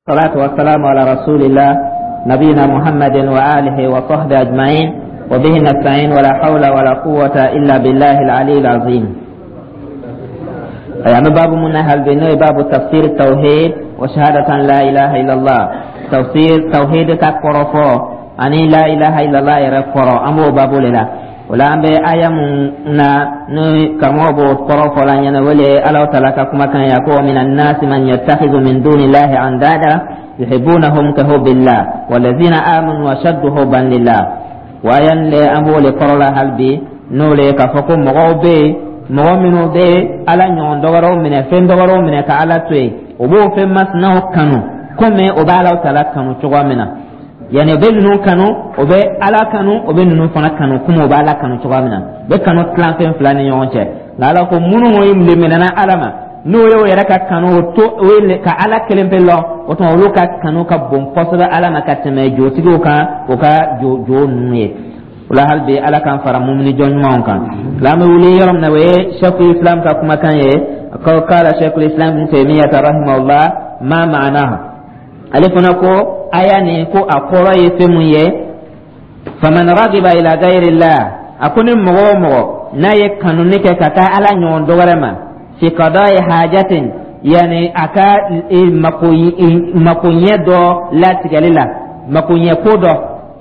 الصلاة والسلام على رسول الله نبينا محمد وآله وصحبه أجمعين وبه نستعين ولا حول ولا قوة إلا بالله العلي العظيم. يعني باب من هل بنوي باب تفسير التوحيد وشهادة لا إله إلا الله. تفسير توحيد كقرفو أني لا إله إلا الله يرقرو أمو باب لله. Wala an bɛ aya mun na ni karamɔgɔ b'o kɔrɔ fɔ la ɲɛna wele Alahu taala ka kumakan ya ko min annasi man yattakhidhu min dunillahi andada yuhibbunahum ka hubbillah walladhina amanu ashaddu hubban lillah. Wa ayan le an b'o le kɔrɔ la hali bi, n'o le k'a fɔ ko mɔgɔw bɛ yen, mɔgɔ minnu bɛ Ala ɲɔgɔn dɔwɛrɛw minɛ, fɛn dɔwɛrɛw minɛ ka Ala to yen, o b'o fɛn masinaw kanu komi o bɛ Alahu taala kanu cogoya min na. Yani o bɛ ninnu kanu, o bɛ Ala kanu, o bɛ ninnu fana kanu komi o bɛ Ala kanu cogoya min na. U bɛ kanu tilan fɛn fila ni ɲɔgɔn cɛ. Nka Ala ko minnu leminɛna Ala ma, n'o y'o yɛrɛ ka kanu o to o ye ka Ala kelen pe lɔ, o tuma olu ka kanu ka bon kosɛbɛ Ala ma ka tɛmɛ jotigiw kan, o ka jo jo ninnu ye. O la hali bi Ala k'an fara mumini jɔn ɲumanw kan. La an bɛ wuli yɔrɔ min na, o ye Sheikhul Islam ka kumakan ye ko kala Sheikhul Islam Ibn Taymiyyah rahimahullah ma ma'anahu. Ale fana ko aya nin ko a kɔrɔ ye fɛn mun ye? Faman ragiba ila gayrillah, a ko ni mɔgɔ o mɔgɔ n'a ye kanuni kɛ ka taa Ala ɲɔgɔn dɔ wɛrɛ ma, fi qada'i hajatin, yani a ka makoɲɛ dɔ latigɛli la, makoɲɛ ko dɔ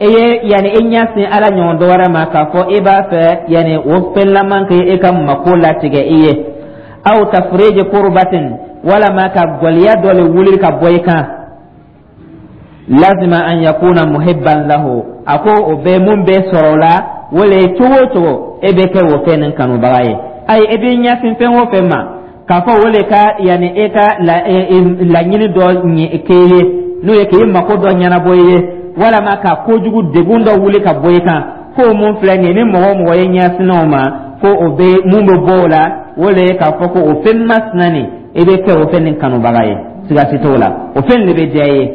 e ye, yani e ɲɛsin Ala ɲɔgɔn dɔ wɛrɛ ma k'a fɔ e b'a fɛ yani o fɛn laman kɛ e ka mako latigɛ i ye, aw tafriji kurbatin, walama ka gɔliya dɔ le wuli ka bɔ i kan, lazima an yakuna muhibban lahu. A ko o bɛ mun bɛ sɔrɔ o la, o le cogo o cogo e bɛ kɛ o fɛn nin kanubaga ye. Ayi, e b'i ɲɛsin fɛn o fɛn ma k'a fɔ o le ka yanni e ka laɲini dɔ k'e ye, n'o ye k'i mako dɔ ɲɛnabɔ i ye, walama ka kojugu degun dɔ wuli ka bɔ i kan, k'o mun filɛ nin ye, ni mɔgɔ o mɔgɔ ye ɲɛsin o ma, ko o bɛ mun bɛ bɔ o la, o le ye k'a fɔ ko o fɛn masina nin, e bɛ kɛ o fɛn nin kanubaga ye, siga si t'o la, o fɛn de bɛ diya i ye.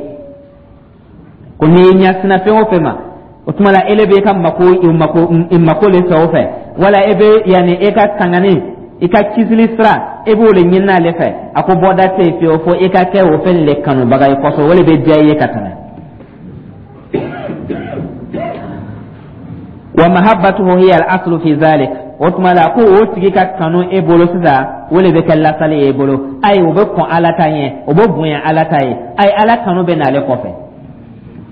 Ko n'i ye ɲɛsina fɛn o fɛn ma, o tuma la ele bɛ ka mako mako mako le fɛ o fɛ, wala e bɛ yanni e ka tangani, i ka kisili sira, e b'o le ɲini ale fɛ, a ko bɔda tɛ yen fiyewu fo i ka kɛ o fɛn le kanubaga ye kosɛbɛ, o le bɛ diya i ye ka tɛmɛ. Wa mahabbatuhu hiya al-aslu fi zalik. O tuma la ko o tigi ka kanu e bolo sisan, o le bɛ kɛ lasali ye e bolo. Ayi, o bɛ kɔn Ala ta ɲɛ, o bɛ bonya Ala ta ye. Ayi, Ala kanu bɛ n'ale kɔfɛ.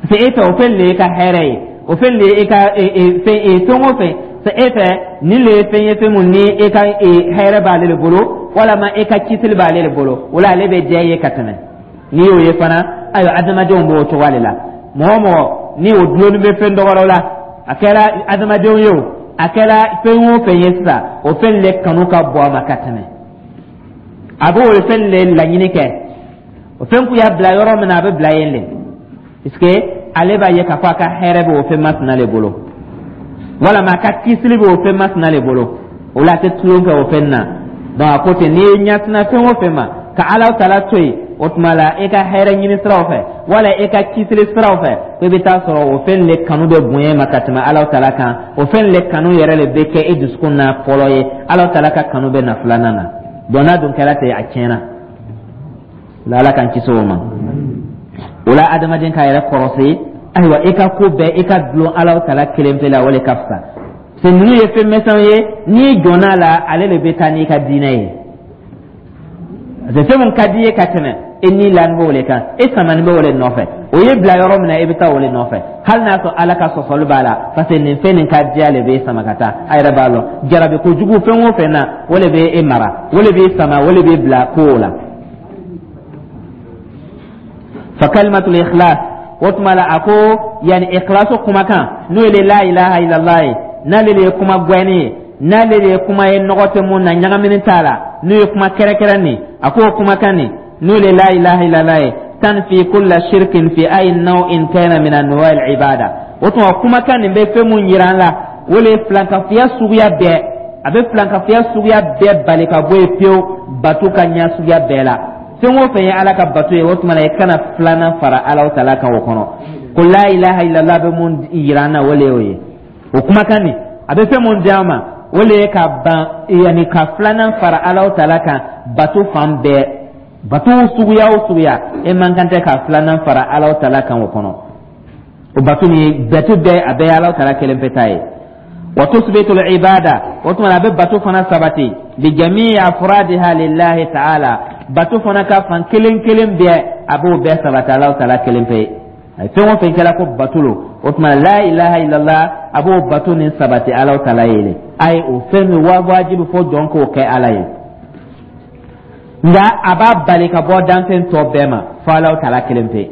Parce que e fɛ o fɛn le ye ka hɛrɛ ye, o fɛn le ye e ka fɛn fɛn o fɛn e fɛ nin le ye fɛn ye, fɛn mun ni e ka hɛrɛ b'ale le bolo, walama e ka kisili b'ale le bolo, o la ale bɛ diya i ye ka tɛmɛ. N'i y'o ye fana, ayiwa, adamadenw b'o cogoya de la. Mɔgɔ o mɔgɔ ni o dulonni bɛ fɛn dɔ wɛrɛ la, a kɛra adamadenw ye o, a kɛra fɛn o fɛn ye sisan, o fɛn le kanu ka bon a ma ka tɛmɛ. A b'o fɛn le laɲini kɛ, o fɛn kun y'a bila yɔrɔ min na, a bɛ bila yen le, puisque ale b'a ye k'a fɔ a ka hɛrɛ bɛ o fɛn masina le bolo, walama a ka kisili bɛ o fɛn masina le bolo, o la a tɛ tulon kɛ o fɛn na. Donc a ko ten, n'i ye ɲɛsina fɛn o fɛn ma ka Ala taala to yen, o tuma la e ka hɛrɛ ɲini siraw fɛ wala e ka kisili siraw fɛ, ko i bɛ taa sɔrɔ o fɛn le kanu bɛ bonya ma ka tɛmɛ Ala taala kan. O fɛn le kanu yɛrɛ le bɛ kɛ e dusukun na fɔlɔ ye, Ala taala ka kanu bɛ na filanan na. Donc n'a dun kɛra ten, a tiɲɛna la. Ala k'an kisi o ma. O la adamaden k'a yɛrɛ kɔrɔsi, ayiwa, i ka ko bɛɛ i ka dulon Ala taala kelen pe la, o le ka fisa. Parce que ninnu ye fɛn misɛnw ye, n'i jɔnna a la, ale de bɛ taa n'i ka diinɛ ye. Parce que fɛn mun ka di i ye ka tɛmɛ, e ni lani b'o le kan, e samani b'o le nɔfɛ, o ye bila yɔrɔ min na, e bɛ taa o le nɔfɛ, hali n'a sɔrɔ Ala ka sɔsɔli b'a la, parce que nin fɛn nin ka diya le b'e sama ka taa. A yɛrɛ b'a lɔn jarabi kojugu fɛn o fɛn na, o le bɛ e mara, o le b'e sama, o le b'e bila kow la. Fa kalimatul ikhlas, o tuma la a ko yani ikhlasu kumakan, n'o ye la ilaha illallah ye, n'ale de ye kuma gwɛni ye, n'ale de ye kuma ye nɔgɔ tɛ mun na, ɲagamini t'a la, n'o ye kuma kɛrɛkɛrɛ nin, a k'o kumakan nin, n'o ye la ilaha illallah ye, tanfi kulla shirkin fi ay naw'in kana min anwa' al-ibada. O tuma kumakan nin bɛ fɛn mun yira an la, o le ye filankafoya suguya bɛɛ, a bɛ filankafoya suguya bɛɛ bali ka bɔ yen pewu, bato ka ɲa suguya bɛɛ la. Fɛn o fɛn ye Ala ka bato ye, o tuma na i kana filanan fara Ala taala kan o kɔnɔ. Ko la ilaha illallah bɛ mun yira an na, o le y'o ye. O kumakan nin a bɛ fɛn mun di an ma, o le ye ka ban, yanni ka filanan fara Ala taala kan bato fan bɛɛ. Bato suguya o suguya, e man kan tɛ ka filanan fara Alahu Taala kan o kɔnɔ. O bato ni bato bɛɛ, a bɛɛ ye Alahu Taala kelen pe ta ye. Wa tusbitu al-ibada, o tuma a bɛ bato fana sabati, bi jami'i afradiha lillahi ta'ala, bato fana ka fan kelen kelen bɛɛ, a b'o bɛɛ sabati Alahu Taala kelen pe. A ye fɛn o fɛn kɛra ko bato lo, o tuma la ilaha illallah, a b'o bato nin sabati Alahu Taala ye le. A ye o fɛn min wajibi fo jɔn k'o kɛ Ala ye, nka a b'a bali ka bɔ danfɛn tɔ bɛɛ ma fo Alahu Taala kelen pe.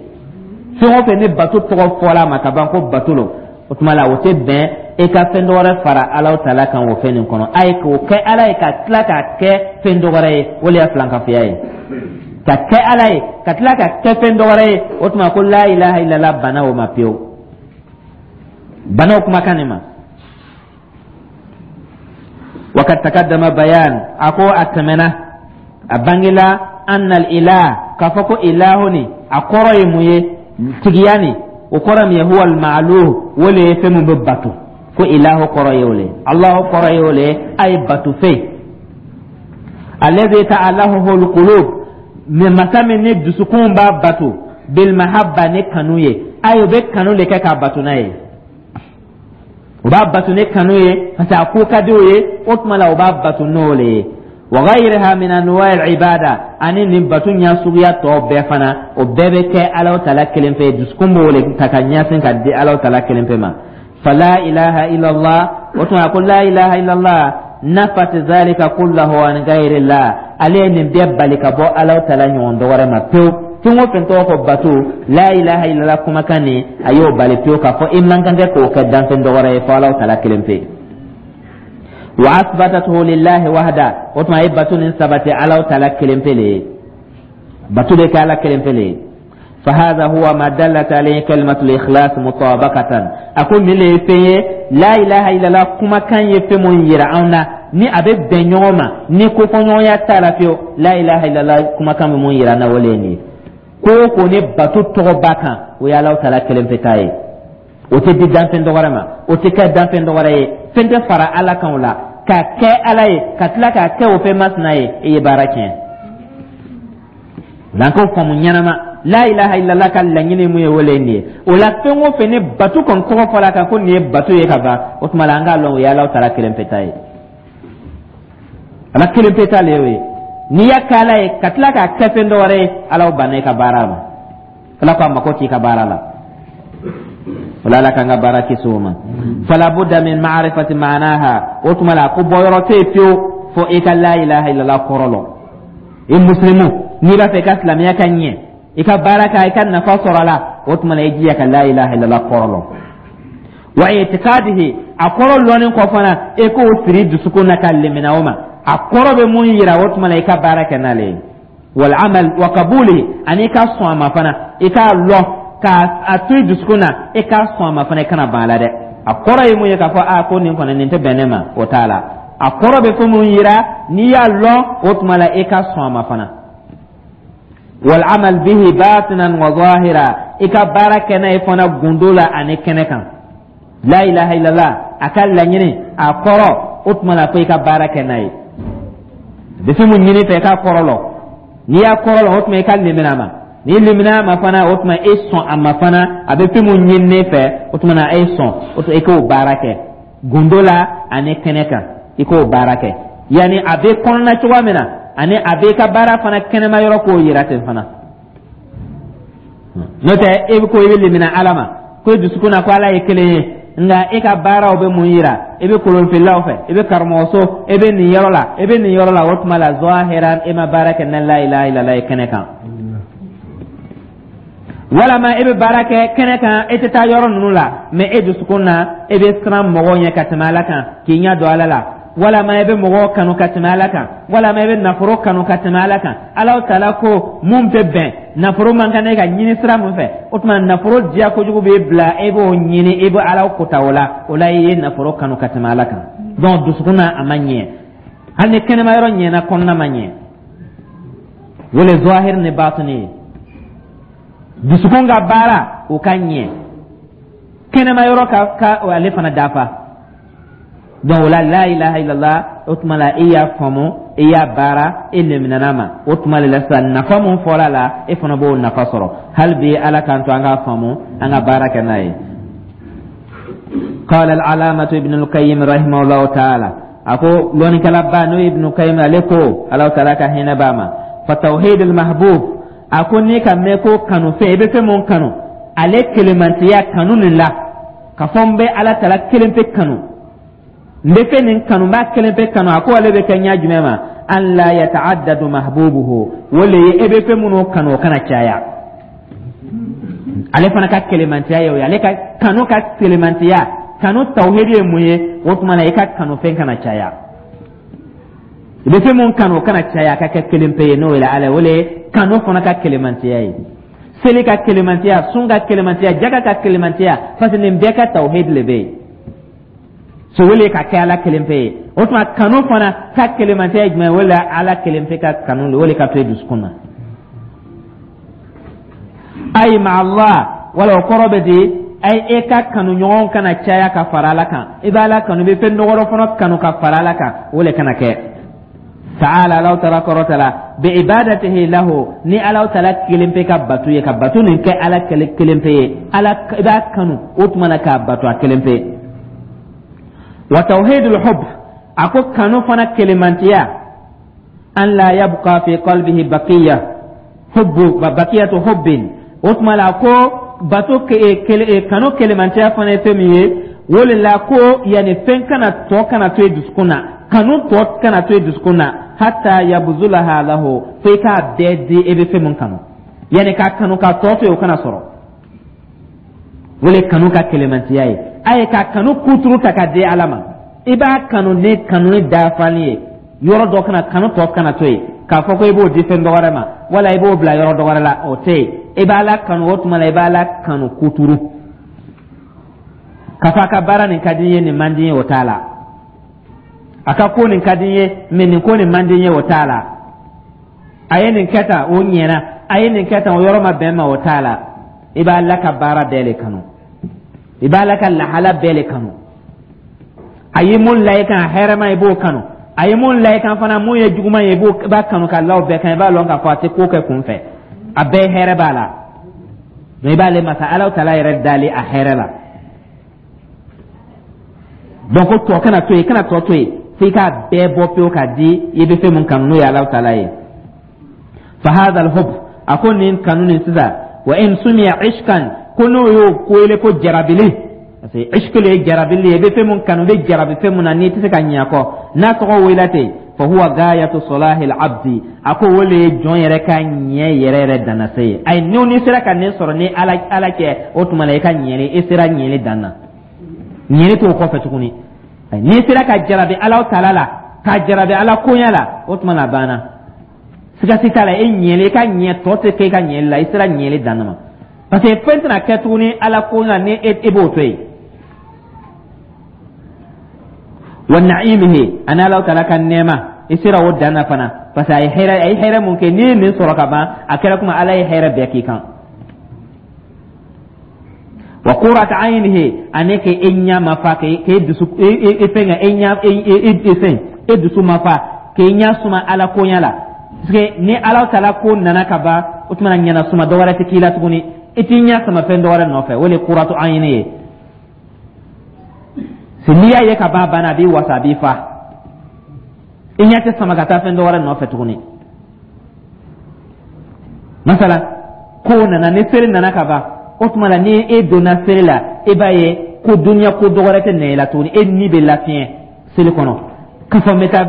Fɛn o fɛn ni bato tɔgɔ fɔla a ma ka ban ko bato lo, o tuma la o tɛ bɛn e ka fɛn dɔ wɛrɛ fara Alahu Taala kan o fɛn nin kɔnɔ. A ye k'o kɛ Ala ye ka tila k'a kɛ fɛn dɔ wɛrɛ ye, o de ye filankafoya ye. Ka kɛ Ala ye ka tila ka kɛ fɛn dɔ wɛrɛ ye, o tuma ko la ilaha illallah banna o ma pewu, banna o kumakan nin ma. Wakad takaddama bayan, a ko a tɛmɛna, a bangela, annal ilah, k'a fɔ ko ilahu ni a kɔrɔ ye mun ye? Tigiya ni o kɔrɔ min ye, huwa al-ma'luh, o le ye fɛn min bɛ bato. Ko ilahu kɔrɔ ye o le ye, Alahu kɔrɔ ye o le ye, a ye bato fɛn, alladhi ta'alahu al-qulub, masa min ni dusukun b'a bato, bil mahabba, ni kanu ye. A ye o bɛ kanu de kɛ k'a bato n'a ye. O b'a bato ni kanu ye parce que a ko ka di o ye. O tuma la o b'a bato n'o le ye. Wa ghayriha min anwa' al-ibada, ani nin bato ɲa suguya tɔ bɛɛ fana, o bɛɛ bɛ kɛ Alahu Taala kelen pe. Dusukun b'o le ta ka ɲɛsin ka di Alahu Taala kelen pe ma. Fala ilaha illallah, o tuma ko la ilaha illallah, nafat zalika kullahu an ghayrillah, ale ye nin bɛɛ bali ka bɔ Alahu Taala ɲɔgɔn dɔ wɛrɛ ma pewu. Fɛn o fɛn tɔgɔ ko bato, la ilaha illallah kumakan nin, a y'o bali pewu k'a fɔ i man kan tɛ k'o kɛ danfɛn dɔ wɛrɛ ye fo Alahu Taala kelen pe. Wa asbatatuhu lillahi wahda, o tuma a ye bato nin sabati Alahu Taala kelen pe le ye. Bato bɛ kɛ Ala kelen pe le ye. فهذا هو ما دلت عليه كلمة الإخلاص مطابقة. أقول من لي لا إله إلا الله كما كان يفهم يرعونا ni a bɛ bɛn ɲɔgɔn ma ni kofɔɲɔgɔnya t'a la fiyewu. La ilaha illallah kumakan bɛ mun yira an na? O le ye nin ye. Ko o ko ni bato tɔgɔ b'a kan, o ye Alahu Taala kelen pe ta ye. O tɛ di danfɛn dɔ wɛrɛ ma, o tɛ kɛ danfɛn dɔ wɛrɛ ye. Fɛn tɛ fara Ala kan o la k'a kɛ Ala ye ka tila k'a kɛ o fɛn masina ye, i ye baara tiɲɛ. N'an k'o faamu ɲɛnama, la ilaha illallah ka laɲini mun ye, o le ye nin ye. O la fɛn o fɛn ni bato kɔni tɔgɔ fɔla kan ko nin ye bato ye ka ban, o tuma la an k'a lɔn o ye Alahu Taala kelen pe ta ye. Ala kelen pe ta le y'o ye. N'i y'a kɛ Ala ye ka tila k'a kɛ fɛn dɔ wɛrɛ ye, Ala banna i ka baara ma. Ala ko a mako t'i ka baara la. O la Ala k'an ka baara kisi o ma. Fala budda min ma'rifati ma'naha, o tuma la ko bɔyɔrɔ tɛ yen fiyewu fo i ka la ilaha illallah kɔrɔ lɔn. I musilimu, n'i b'a fɛ i ka silamɛya ka ɲɛ, i ka baara kɛ, i ka nafa sɔrɔ a la, o tuma la i jija ka la ilaha illallah kɔrɔ lɔn. Wa i'tiqadihi, a kɔrɔ lɔnni kɔ fana, e k'o siri dusukun na ka lemina o ma. A kɔrɔ bɛ mun yira, o tuma la i ka baara kɛ n'ale ye. Wal amal wa qabulihi, ani i ka sɔn a ma fana. I k'a lɔn k'a a to i dusukun na, i k'a sɔn a ma fana, i kana ban a la dɛ. A kɔrɔ ye mun ye? K'a fɔ a ko nin kɔni nin tɛ bɛn ne ma, o t'a la. A kɔrɔ bɛ fɛn mun yira, n'i y'a lɔn, o tuma la i ka sɔn a ma fana. Wal amal bihi batinan wa zahira, i ka baara kɛ n'a ye fana gundo la ani kɛnɛ kan. La ilaha illallah, a ka laɲini, a kɔrɔ, o tuma la fo i ka baara kɛ n'a ye. Bɛ fɛn mun ɲini fɛ, i k'a kɔrɔ lɔn. N'i y'a kɔrɔ lɔn, o tuma i ka limina a ma. N'i limina a ma fana, o tuma e sɔn a ma fana. A bɛ fɛn mun ɲini ne fɛ, o tuma na e sɔn, o tuma i k'o baara kɛ gundo la ani kɛnɛ kan. I k'o baara kɛ yanni a bɛ kɔnɔna cogoya min na, ani a bɛ i ka baara fana kɛnɛma yɔrɔ k'o yira ten fana. N'o tɛ, e bɛ ko i bɛ limina Ala ma, ko i dusukun na ko Ala ye kelen ye, nka e ka baaraw bɛ mun yira? I bɛ kolonfililaw fɛ, i bɛ karamɔgɔso, i bɛ nin yɔrɔ la, i bɛ nin yɔrɔ la. O tuma la zahiran e ma baara kɛ na la ilaha illallah ye kɛnɛ kan. Walama e bɛ baara kɛ kɛnɛ kan, e tɛ taa yɔrɔ ninnu la, mɛ e dusukun na e bɛ siran mɔgɔw ɲɛ ka tɛmɛ Ala kan, k'i ɲɛ don Ala la. Walama e bɛ mɔgɔw kanu ka tɛmɛ Ala kan, walama e bɛ nafolo kanu ka tɛmɛ Ala kan. Ala Taala ko mun tɛ bɛn, nafolo man kan e ka ɲini sira mun fɛ, o tuma nafolo diya kojugu b'e bila, e b'o ɲini, e bɛ Ala kota o la. O la i ye nafolo kanu ka tɛmɛ Ala kan. Donc dusukun na a ma ɲɛ. Hali ni kɛnɛma yɔrɔ ɲɛna, kɔnɔna ma ɲɛ. O le zahir ni batini ye. Dusukun ka baara, o ka ɲɛ, kɛnɛma yɔrɔ ka ale fana dafa. Donc o la la ilaha illallah, o tuma la e y'a faamu. I y'a baara, e leminana ma, o tuma de la sisan nafa mun fɔra la, e fana b'o nafa sɔrɔ. Hali bi Ala k'an to an k'a faamu, an ka baara kɛ n'a ye. قال العلامة ابن القيم رحمه الله تعالى, a ko lɔnnikɛlaba n'o ye Ibn Qayyim, ale ko Ala taala ka hinɛ b'a ma, فتوحيد المحبوب, a ko n'i ka mɛn ko kanu fɛn, i bɛ fɛn mun kanu, ale kelemantiya kanu nin la, ka fɔ n bɛ Ala taala kelen pe kanu, n bɛ fɛn nin kanu, n b'a kelen pe kanu, a ko ale bɛ kɛ ɲɛ jumɛn ma? أن لا يتعدد محبوبه, o le ye e bɛ fɛn minnu kanu, o kana caya. Ale fana ka kelemantiya ye o ye. Ale ka kanu ka kelemantiya, kanu tawhidi ye mun ye? O tuma na, i ka kanu fɛn kana caya, i bɛ fɛn mun kanu, o kana caya, a ka kɛ kelen pe ye, n'o ye Ala ye. O le ye kanu fana ka kelemantiya ye. Seli ka kelemantiya, sun ka kelemantiya, jaga ka kelemantiya, parce que nin bɛɛ ka tawhidi le bɛ yen. So wele ka kɛ Ala kelen pe ye. O tuma kanu fana ka kelemantiya ye jumɛn ye? O le Ala kelen pe ka kanu, o le ka to i dusukun na. أي مع الله, wala o kɔrɔ bɛ di? Ay, e ka kanu ɲɔgɔn kana caya ka fara Ala kan. I b'Ala kanu, i bɛ fɛn dɔgɔdɔ fana kanu ka fara Ala kan, o le kana kɛ. تعالى, Ala taala kɔrɔtala, بعبادته له, ni Ala taala kelen pe ka batu ye, ka batu nin kɛ Ala kelen pe ye. Ala i b'a kanu, o tuma na k'a batu a kelen pe. وتوحيد الحب, a ko kanu fana kelemantiya, أن لا يبقى في قلبه بقية حب بقية حب. O tuma la ko bato kanu kelemantiya fana ye fɛn min ye, o le la ko yanni fɛn kana tɔ kana to i dusukun na, kanu tɔ kana to i dusukun na, حتى يبذلها له, fo i k'a bɛɛ di e bɛ fɛn mun kanu. Yanni k'a kanu k'a tɔ to yen, o kana sɔrɔ. O le kanu ka kelemantiya ye. A ye ka kanu kuturu ta ka di Ala ma, i b'a kanu ni kanu ni dafali ye, yɔrɔ dɔ kana kanu tɔ kana to yen k'a fɔ ko i b'o di fɛn dɔ wɛrɛ ma, wala i b'o bila yɔrɔ dɔ wɛrɛ la, o tɛ yen. I b'Ala kanu, o tuma la i b'Ala kanu kuturu, k'a fɔ a ka baara nin ka di n ye, nin man di n ye, o t'a la. A ka ko nin ka di n ye, mɛ nin ko nin man di n ye, o t'a la. A ye nin kɛ tan, o ɲɛna, a ye nin kɛ tan, o yɔrɔ ma bɛn ma, o t'a la. I b'Ala ka baara bɛɛ le kanu, i b'Ala ka lahala bɛɛ le kanu. A ye mun la i kan hɛrɛma, i b'o kanu. A ye mun la i kan fana, mun ye juguman ye, i b'a kanu ka la o bɛɛ kan. I b'a lɔn k'a fɔ a tɛ ko kɛ kun fɛ, a bɛɛ hɛrɛ b'a la. Mais i b'ale masa Ala taala yɛrɛ dali a hɛrɛ la. Donc tɔ kana to yen, kana tɔ to yen, f'i k'a bɛɛ bɔ pewu k'a di i bɛ fɛn mun kanu, n'o ye Ala taala ye. فهذا الحب, a ko nin kanu nin sisan, وإن سمي عشقا, ko n'o y'o wele ko jarabili, parce que عشق le ye jarabili ye, i bɛ fɛn mun kanu, i bɛ jarabi fɛn mun na n'i tɛ se ka ɲɛ a kɔ, n'a tɔgɔ wele ten, فهو غاية صلاح العبد, a ko o le ye jɔn yɛrɛ ka ɲɛ yɛrɛ yɛrɛ dannase ye. Ayi, n'i sera ka nin sɔrɔ ni Ala cɛ, o tuma na i ka ɲɛli, i sera ɲɛli dan na, ɲɛli t'o kɔfɛ tuguni. N'i sera ka jarabi Ala taala la, ka jarabi Ala koɲɛ la, o tuma na a banna, siga si t'a la, e ɲɛli, i ka ɲɛ tɔ tɛ kɛ i ka ɲɛli la, i sera ɲɛli dan ma, parce que fɛn tɛna kɛ tuguni Ala koɲɛ ni e b'o to yen. ونعيمه, ani Ala taala ka nɛɛma, i sera o dan na fana, parce que a ye hɛrɛ mun kɛ, n'i ye nin sɔrɔ ka ban, a kɛra komi Ala ye hɛrɛ bɛɛ k'i kan. وقرة عينه, ani k'e ɲɛ ma fa, k'e dusu e fɛn e ɲɛ e fɛn e dusu ma fa, k'e ɲɛ suma Ala koɲɛ la, parce que ni Ala taala ko nana ka ban, o tuma na ɲɛna suma dɔ wɛrɛ tɛ k'i la tuguni, i t'i ɲɛ sama fɛn dɔ wɛrɛ nɔfɛ. O de ye قرة عين ye. N'i y'a ye ka ban, a banna, a b'i wasa, a b'i fa, i ɲɛ tɛ sama ka taa fɛn dɔ wɛrɛ nɔfɛ tuguni. Masala ko nana, ni seli nana ka ban, o tuma la ni e donna seli la, e b'a ye ko duniya ko dɔ wɛrɛ tɛ nɛ i la tuguni, e ni bɛ lafiɲɛ seli kɔnɔ, k'a fɔ n bɛ taa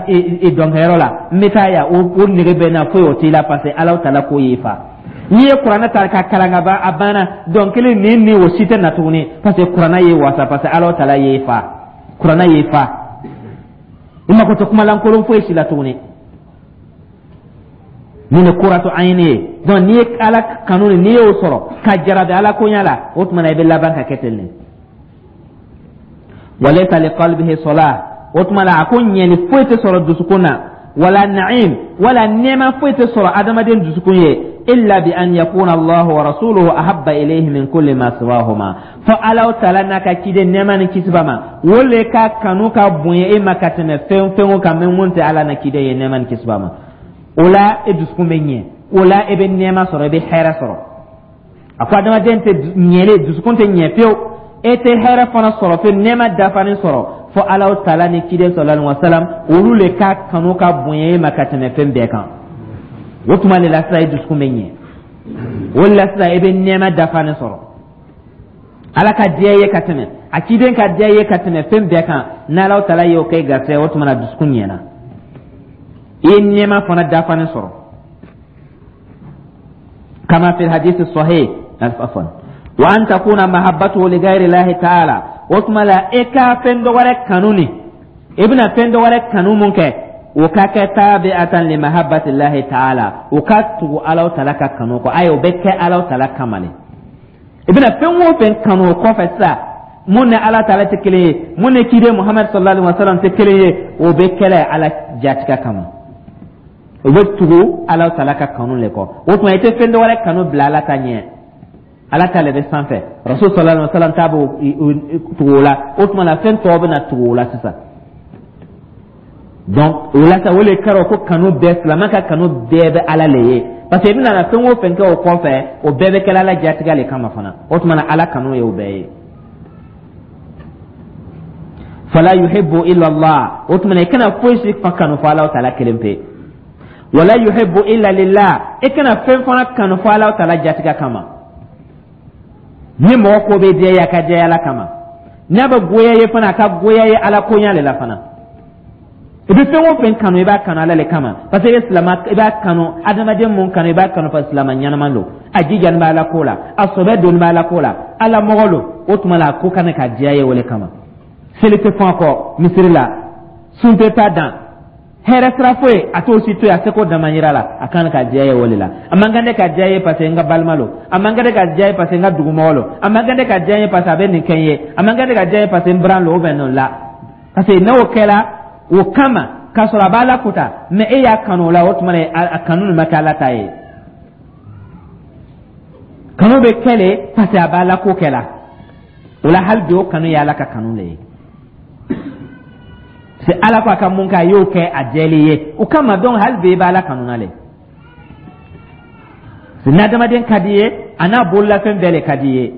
dɔnkɛyɔrɔ la, n bɛ taa yan, o nege bɛ n na, foyi o t'i la, parce que Ala taala ko y'i fa. N'i ye kuranɛ ta ka kalan ka ban, a banna, dɔnkili nin ni o si tɛ na tuguni, parce que kuranɛ y'i wasa, parce que Ala taala y'i fa, kuranɛ y'i fa, i mako tɛ kumalankolon foyi si la tuguni. Nin de قرة عين ye. Donc n'i ye Ala kanu, n'i y'o sɔrɔ ka jarabi Ala koɲa la, o tuma na i bɛ laban ka kɛ ten de. وليس لقلبه صلاح, o tuma la a ko ɲɛli foyi tɛ sɔrɔ dusukun na. Wala na'im, wala nɛɛma foyi tɛ sɔrɔ adamaden dusukun ye, illa bi an yakuna Allahu wa rasuluhu ahabba ilayhi min kulli ma siwahuma, fo Alaw Taala n'a ka ciden, nɛɛma ni kisi b'a ma, o le ka kanu ka bonya e ma ka tɛmɛ fɛn fɛn o kan min mun tɛ Ala na ciden ye, nɛɛma ni kisi b'a ma. O la e dusukun bɛ ɲɛ, o la e bɛ nɛɛma sɔrɔ, e bɛ hɛrɛ sɔrɔ. A ko adamaden tɛ ɲɛlen, dusukun tɛ ɲɛ fiyewu, e tɛ hɛrɛ fana sɔrɔ fiyewu, nɛɛma dafalen sɔrɔ, fo Alaw Taala ni ciden sallallahu alaihi wasallam, olu le ka kanu ka bonya e ma ka tɛmɛ fɛn bɛɛ kan. O tuma de la sisan e dusukun bɛ ɲɛ, o de la sisan e bɛ nɛɛma dafalen sɔrɔ. Ala ka diya ye ka tɛmɛ a ciden ka diya ye ka tɛmɛ fɛn bɛɛ kan, n'Alaw Taala y'o kɛ garisɛgɛ, o tuma na dusukun ɲɛna, i ye nɛɛma fana dafalen sɔrɔ. Kama fi hadisi sahih, afwan, wa an takuna mahabbatuhu li ghayri llahi ta'ala. O tuma la e ka fɛn dɔ wɛrɛ kanu ni i bɛna fɛn dɔ wɛrɛ kanu mun kɛ, o ka kɛ tabi'atan li mahabbati llahi ta'ala, o ka tugu Alaw Taala ka kanu kɔ. Ayi, o bɛ kɛ Alaw Taala kama le. I bɛna fɛn o fɛn kanu o kɔfɛ sisan, mun ni Ala Taala tɛ kelen ye, mun ni ciden Muhamadu sallallahu alaihi wa sallam tɛ kelen ye, o bɛ kɛlɛ Ala jatigɛ kama, o bɛ tugu Ala Taala ka kanu le kɔ. O tuma i tɛ fɛn dɔ wɛrɛ kanu bila Ala ta ɲɛ. Ala ta le bɛ sanfɛ, Rasul sallallahu alaihi wa sallam ta b'o tugu o la. O tuma na fɛn tɔw bɛ na tugu o la sisan. Donc o la sa, o le kɛra ko kanu bɛɛ, silamɛ ka kanu bɛɛ bɛ Ala le ye, parce que i bɛna na fɛn o fɛn kɛ o kɔfɛ, o bɛɛ bɛ kɛ Ala jatigɛ le kama fana. O tuma na Ala kanu ye o bɛɛ ye. Fala yuhibbu illa Allah. O tuma na i kana foyi si fa kanu fo Ala Taala kelen pe. Wala yuhibbu illa lillah. I kana fɛn fana kanu fo Ala Taala jatigɛ kama. Ni mɔgɔ ko bɛ diya ye, a ka diya Ala kama. N'a bɛ goya ye fana, a ka goya ye Ala koɲa le la fana. I bɛ fɛn o fɛn kanu, i b'a kanu Ala le kama, parce que i bɛ silama, i b'a kanu adamaden mun kanu, i b'a kanu parce que silama ɲɛnama don, a jijani bɛ Ala ko la, a sɔbɛ donni bɛ Ala ko la, Ala mɔgɔ don. O tuma la a ko kana ka diya ye o le kama. Seli tɛ fɔn a kɔ misiri la, sun tɛ taa dan, hɛrɛ sira foyi a t'o si to yen, a seko damayira la, a kan ka diya ye o de la. A man kan ne ka diya ye parce que n ka balima lo, a man kan ne ka diya ye parce que n ka dugumɔgɔ lo, a man kan ne ka diya ye parce que a bɛ nin kɛ n ye, a man kan ne ka diya ye parce que n biran lo ou bien non la. Parce que n'o kɛra o kama k'a sɔrɔ a b'a la kota, mais e y'a kanu o la, o tuma na a kanu nin ma kɛ Ala ta ye. Kanu bɛ kɛ le parce que a b'a la ko kɛ la o la. Hali bi o kanu ye Ala ka kanu le ye. C'est Ala ko a ka mun kɛ, a y'o kɛ a jɛlen ye o kama. Donc hali bi i bɛ Ala kanu na le. N'adamaden ka di ye, a n'a bololafɛn bɛɛ le ka di ye,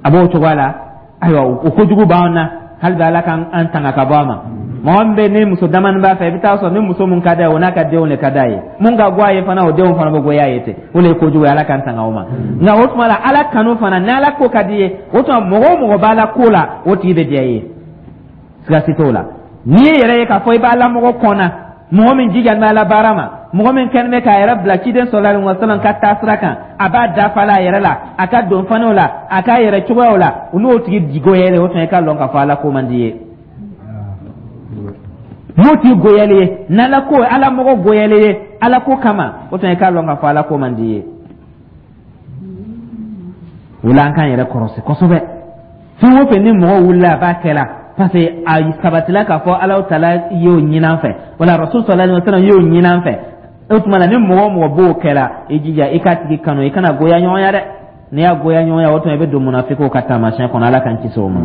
a b'o cogoya la. Ayiwa, o kojugu b'an na, hali bi Ala k'an tanga ka bɔ a ma. Mɔgɔ min bɛ ni muso damani b'a fɛ, i bɛ taa sɔrɔ ni muso mun ka d'a ye, o n'a ka denw de ka d'a ye. Mun ka go a ye fana, o denw fana bɛ goya ye ten. O de ye kojugu ye, Ala k'an tanga o ma. Nka o tuma la Ala kanu fana, n'Ala ko ka di ye, o tuma mɔgɔ o mɔgɔ b'Ala ko la, o tigi bɛ diya i ye, siga si t'o la. N'i ye yɛrɛ ye k'a fɔ i b'Ala mɔgɔ kɔnna, mɔgɔ min jija bɛ Ala baara ma, mɔgɔ min kɛlen bɛ k'a yɛrɛ bila ciden sallallahu alaihi wasallam ka taasira kan, a b'a dafa la a yɛrɛ la, a ka donfaniw la, a k'a yɛrɛ cogoyaw la, n'o tigi goyalen, o tuma i ka lɔn k'a fɔ Ala ko man di ye. N'o tigi goyalen ye, n'Ala ko, Ala mɔgɔ goyalen ye Ala ko kama, o tuma i k'a lɔn k'a fɔ Ala ko man di ye. O la an k'an yɛrɛ kɔrɔsi kosɛbɛ. Fɛn o fɛn ni mɔgɔ wulila a b'a kɛ la parce que a sabatila k'a fɔ Ala Taala y'o ɲini an fɛ, wala Rasul sallallahu alaihi wasallam y'o ɲini an fɛ, o tuma na ni mɔgɔ o mɔgɔ b'o kɛ la, i jija i k'a tigi kanu, i kana goya ɲɔgɔnya dɛ. N'i y'a goya ɲɔgɔnya, o tuma i bɛ don munafikiw ka taamasiyɛn kɔnɔ. Ala k'an kisi o ma.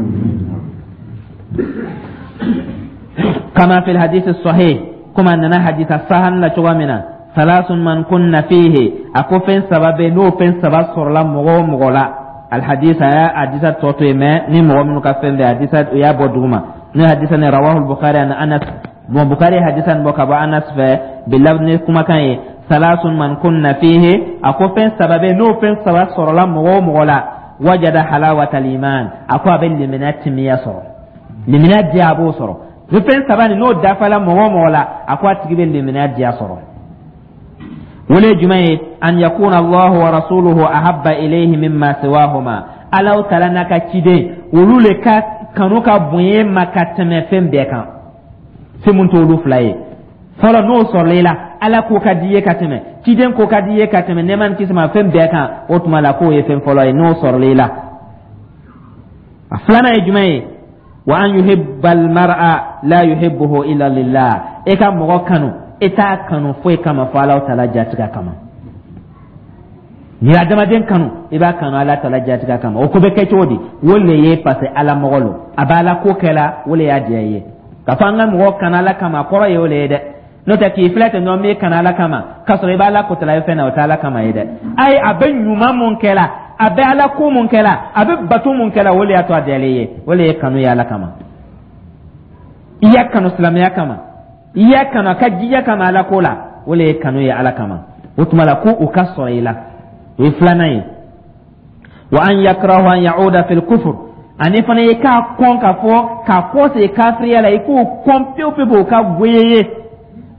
Kama fil hadith sahih, komi a nana hadisa sahan la cogoya min na, salasun man kunna fihi, a ko fɛn saba bɛ, n'o fɛn saba sɔrɔla mɔgɔ o mɔgɔ la. Alhadisa, a y'a hadisa tɔ to yen, mɛ ni mɔgɔ minnu ka fɛn bɛ hadisa, o y'a bɔ duguma. N'o hadisa ni rawahu Bukhari ani Anas. Bon, Bukhari hadisa nin bɔ ka bɔ Anas fɛ bilab ni kumakan ye salasun man kunna fihi, a ko fɛn saba bɛ, n'o fɛn saba sɔrɔla mɔgɔ o mɔgɔ la, wajada halawatal iman, a ko a bɛ limaniya timiya sɔrɔ, limaniya diya a b'o sɔrɔ. Ni fɛn saba nin n'o dafala mɔgɔ o mɔgɔ la, a ko a tigi bɛ limaniya diya sɔrɔ. O le jumɛn ye? An yakuna Allahu wa rasuluhu ahabba ilayhi mimma siwahuma, Alaw Taala n'a ka ciden, olu le ka kanu ka bonya ma ka tɛmɛ fɛn bɛɛ kan, fɛn mun t'olu fila ye. Fɔlɔ, n'o sɔrɔla i la, Ala ko ka di i ye ka tɛmɛ, ciden ko ka di i ye ka tɛmɛ, nɛɛma ni kisi ma, fɛn bɛɛ kan, o tuma la k'o ye fɛn fɔlɔ ye n'o sɔrɔla i la. A filanan ye jumɛn ye? Wa an yuhibba almar'a la yuhibbuhu illa lillah, e ka mɔgɔ kanu, e t'a kanu foyi kama fo Alahu Taala jatigɛ kama. N'i ye adamaden kanu, i b'a kanu Ala Taala jatigɛ kama. O ko bɛ kɛ cogo di? O le ye parce que Ala mɔgɔ lo, a bɛ Ala ko kɛ la, o le y'a diya i ye. K'a fɔ an ka mɔgɔ kanu Ala kama, a kɔrɔ ye o le ye dɛ. N'o tɛ, k'i filɛ ten dɔrɔn, n b'i kanu Ala kama, k'a sɔrɔ i bɛ Ala kotala ye fɛn na, o tɛ Ala kama ye dɛ. Ayi, a bɛ ɲuman mun kɛ la, a bɛ Ala ko mun kɛ la, a bɛ bato mun kɛ la, o le y'a to a diyalen ye. O le ye kanu ye Ala kama. I y'a kanu silamɛya kama, i y'a kanu a ka jija kama Ala ko la, o le ye kanu ye Ala kama. O tuma la, ko o ka sɔrɔ i la, o ye filanan ye. Wa an yakrahu an ya'uda fil kufur, ani fana i k'a kɔn ka fɔ k'a kɔsegin kafiriya la, i k'o kɔn pewu pewu, o ka goya i ye.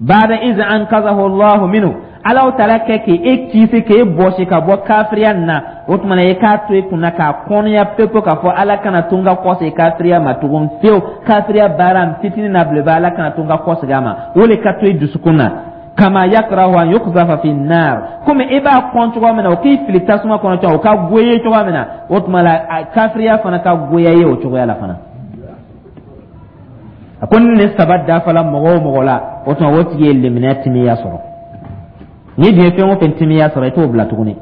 Baada iz ankazahu Allahu minhu, Alahu Taala kɛ k'e kisi, k'e bɔsi ka bɔ kafiriya nin na, o tuma na i k'a to i kunna k'a kɔnɔya pewu pewu k'a fɔ Ala kana to n ka kɔsegin kafiriya ma tugun fiyewu. Kafiriya baara fitinin n'a belebele, Ala kana to n ka kɔsegin a ma. O le ka to i dusukun na. Kama yakrahu an yukzafa fi nar, komi i b'a kɔn cogoya min na o k'i fili tasuma kɔnɔ cogo, o ka goya cogoya min na, o tuma la kafiriya fana ka goya ye o cogoya la fana. A ko ni nin saba dafala mɔgɔ o mɔgɔ la, o tuma o tigi ye limaniya timiya sɔrɔ. N'i dun ye fɛn o fɛn timiya sɔrɔ, i t'o bila tuguni.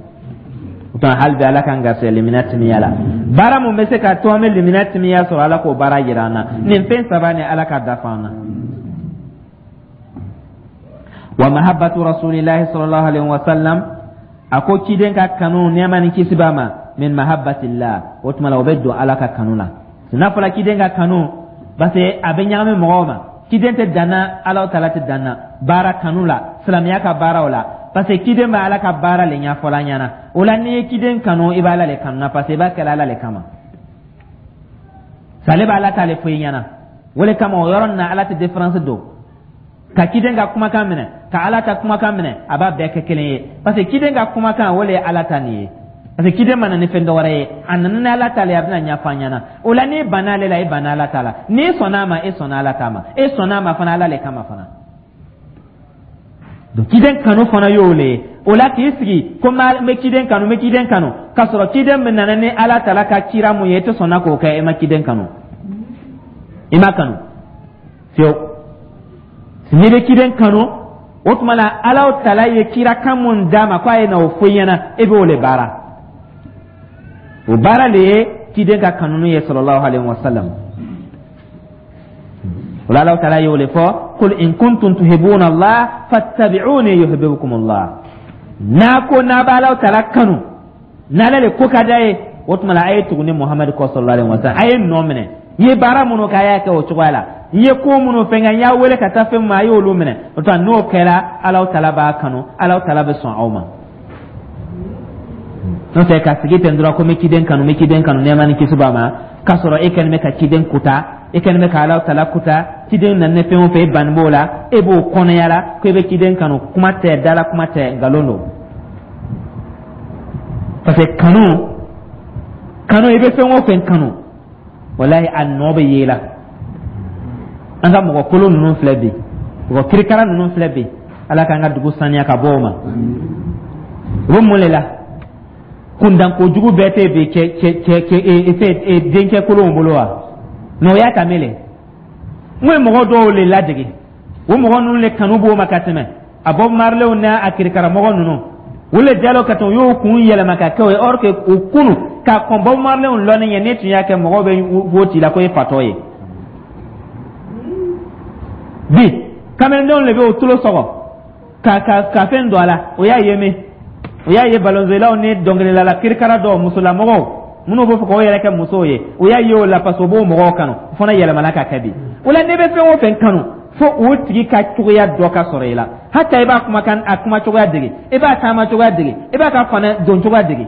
O tuma hali bi, Ala k'an garisɛgɛ limaniya timiya la. Baara mun bɛ se ka to an bɛ limaniya timiya sɔrɔ, Ala k'o baara yira an na. Nin fɛn saba nin, Ala ka dafa an na. Wa mahabbatu rasulillahi sallallahu alaihi wasallam, a ko ciden ka kanu, nɛɛma ni kisi b'a ma, min mahabbatillah, o tuma la o bɛ don Ala ka kanu la. N'a fɔra ciden ka kanu, parce que a bɛ ɲagami mɔgɔw ma. Ciden tɛ danna, Ala Taala tɛ danna baara kanu la, silamɛya ka baaraw la, parce que ciden bɛ Ala ka baara le ɲɛfɔla an ɲɛna. O la, n'i ye ciden kanu, i bɛ Ala le kanu na, parce que i b'a kɛla Ala le kama. Sale bɛ Ala t'ale fɔ i ɲɛna. O le kama, o yɔrɔ nin na, Ala tɛ différence don ka ciden ka kumakan minɛ ka Ala ta kumakan minɛ, a b'a bɛɛ kɛ kelen ye, parce que ciden ka kumakan, o le ye Ala ta nin ye, parce que ciden ma na ni fɛn dɔwɛrɛ ye, a nana ni Ala ta le ye, a bɛna ɲɛfɔ an ɲɛna. O la, n'i banna ale la, i banna Ala ta la. N'i sɔnna a ma, e sɔnna Ala ta ma. E sɔnna a ma fana, Ala le kama fana. Donc ciden kanu fana y'o le ye. O la, k'i sigi ko n bɛ ciden kanu, n bɛ ciden kanu, k'a sɔrɔ ciden min nana ni Ala tala ka cira mun ye, e tɛ sɔnna k'o kɛ, e ma ciden kanu, i ma kanu fiyewu. N'i bɛ ciden kanu, o tuma la Ala tala ye kirakan mun d'a ma k'a ye na o fɔ i ɲɛna, e b'o le baara. O baara le ye ciden ka kanunu ye, sallallahu alaihi wa sallam. O la, Ala tala y'o le fɔ: qul in kuntum tuhibbuna Allah fattabi'uni yuhibbukum Allah. N'a ko n'a bɛ Ala tala kanu, n'ale le ko ka d'a ye, o tuma la a ye tugu ne Muhamadu kɔ, sallallahu alaihi wa sallam. A ye nɔ minɛ, n ye baara minnu kɛ, a y'a kɛ o cogoya la. N ye ko minnu fɛn kɛ, n y'a wele ka taa fɛn min ma, a y'olu minɛ. O tuma n'o kɛra, Ala tala b'a kanu, Ala tala bɛ sɔn aw ma. N'o tɛ, ka sigi ten dɔrɔn ko n bɛ ciden kanu, n bɛ ciden kanu, nɛɛma ni kisi b'a ma, k'a sɔrɔ e kɛlen bɛ ka ciden kuta, e kɛlen bɛ ka Ala tala kuta. Ciden nana ni fɛn o fɛn, e banni b'o la, e b'o kɔnɔya la ko e bɛ ciden kanu. Kuma tɛ dala, kuma tɛ, nkalon don. Parce que kanu, kanu, i bɛ fɛn o fɛn kanu, walahi, a nɔ bɛ ye la. An ka mɔgɔ kolon ninnu filɛ bi, mɔgɔ kirikara ninnu filɛ bi, Ala k'an ka dugu saniya ka bɔ o ma. U bɛ mun de la? Kundankojugu bɛɛ tɛ bi cɛ cɛ cɛ cɛ denkɛ kolonw bolo wa? Mais o y'a ta mele n ko ye mɔgɔ dɔw le ladege, o mɔgɔ ninnu le kanu b'o ma ka tɛmɛ a Bob Marleyw n'a a kirikaramɔgɔ ninnu. O le jalo ka tɛmɛ, u y'o kun yɛlɛma ka kɛ o ye. Or que o kunu ka kɔn Bob Marleyw lɔnni ɲɛ, ne tun y'a kɛ, mɔgɔw bɛ wo ci la ko e fatɔ ye. Bi kamelendenw le bɛ o tulo sɔgɔ ka fɛn don a la. O y'a ye min, o y'a ye balonzelaw ni dɔnkilidala kirikara dɔw, musolamɔgɔw minnu b'a fɔ k'o yɛrɛ kɛ musow ye, o y'a ye o la, parce que o b'o mɔgɔw kanu. O fana yɛlɛmana ka kɛ bi. O la, n'i bɛ fɛn o fɛn kanu, fo o tigi ka cogoya dɔ ka sɔrɔ i la. Hata i b'a kumakan, a kuma cogoya dege, i b'a taama cogoya dege, i b'a ka fana don cogoya dege.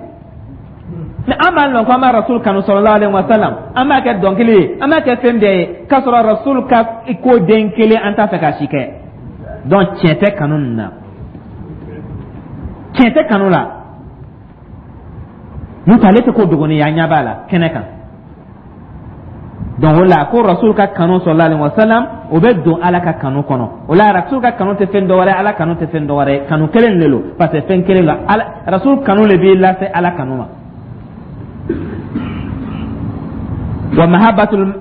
Ni an b'a lɔn ko an b'a Rasul kanu, sallallahu alaihi wa sallam, an b'a kɛ dɔnkili ye, an b'a kɛ fɛn bɛɛ ye, k'a sɔrɔ Rasul ka ko den kelen an t'a fɛ ka si kɛ, donc tiɲɛ tɛ kanu nin na, tiɲɛ tɛ kanu la. N'o tɛ, ale tɛ ko dogoni ye, an ɲɛ b'a la kɛnɛ kan. Donc o la, ko Rasul ka kanu, sallallahu alaihi wasallam, o bɛ don Ala ka kanu kɔnɔ. O la, Rasul ka kanu tɛ fɛn dɔwɛrɛ, Ala kanu tɛ fɛn dɔwɛrɛ ye, kanu kelen de don, parce que fɛn kelen don. Ala Rasul kanu le b'i lase Ala kanu ma. Wa mahabbatul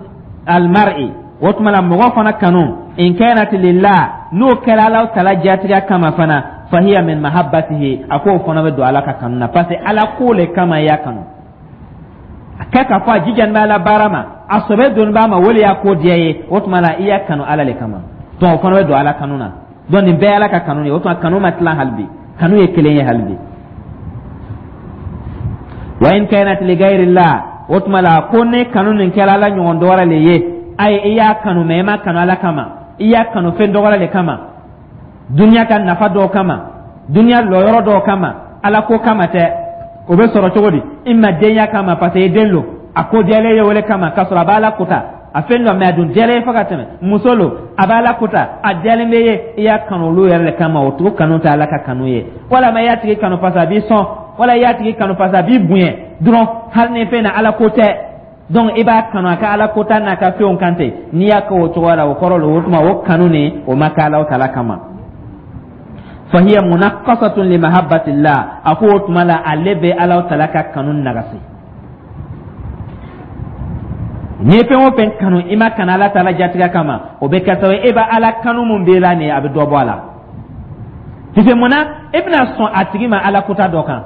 Almar'i, o tuma la mɔgɔ fana kanu, in kanat lillah, n'o kɛra Ala tala jatigiya kama fana, fahiya min mahabbatihi, a k'o fana bɛ don Ala ka kanu na, parce que Ala ko le kama i y'a kanu. A kɛ k'a fɔ a jijani bɛ Ala baara ma, a sɔbɛ doni b'a ma, o le y'a ko diya ye, o tuma la i y'a kanu Ala le kama. Donc o fana bɛ don Ala kanu na. Donc nin bɛɛ ye Ala ka kanu ye. O tuma kanu ma tilan hali bi, kanu ye kelen ye hali bi. Wa in kanat li ghayrillah, o tuma la ko ne kanu nin kɛra Ala ɲɔgɔn dɔ wɛrɛ le ye, ayi, i y'a kanu mɛ i ma kanu Ala kama, i y'a kanu fɛn dɔ wɛrɛ le kama, duniya ka nafa dɔw kama, duniya lɔyɔrɔ dɔw kama, Ala ko kama tɛ. O bɛ sɔrɔ cogo di? I ma denya kama, parce que i den lo, a ko diyalen ye o le kama, k'a sɔrɔ a b'Ala kota a fɛn dɔ mɛ, a dun diyalen ye fo ka tɛmɛ. Muso lo, a b'Ala kota, a diyalen bɛ ye, i y'a kanu olu yɛrɛ le kama, o tugu kanu tɛ Ala ka kanu ye. Walama i y'a tigi kanu parce que a b'i sɔn, wala i y'a tigi kanu parce que a b'i bonya dɔrɔn, hali ni fɛn na Ala ko tɛ. Donc i b'a kanu a ka Ala kota n'a ka fɛnw kan ten. N'i y'a kɛ o cogoya la, o kɔrɔ lo, o tuma o kanu nin, o ma kɛ Ala tala kama. Fahiya munaqqasatun li mahabbatillah, a ko o tuma la ale bɛ Ala tala ka kanu nagasi. N'i ye fɛn o fɛn kanu, i ma kanu Ala tala jatigɛ kama, o bɛ kɛ sababu ye e bɛ Ala kanu mun b'e la nin ye, a bɛ dɔ bɔ a la. Puisque mun na? E bɛna sɔn a tigi ma Ala kota dɔ kan,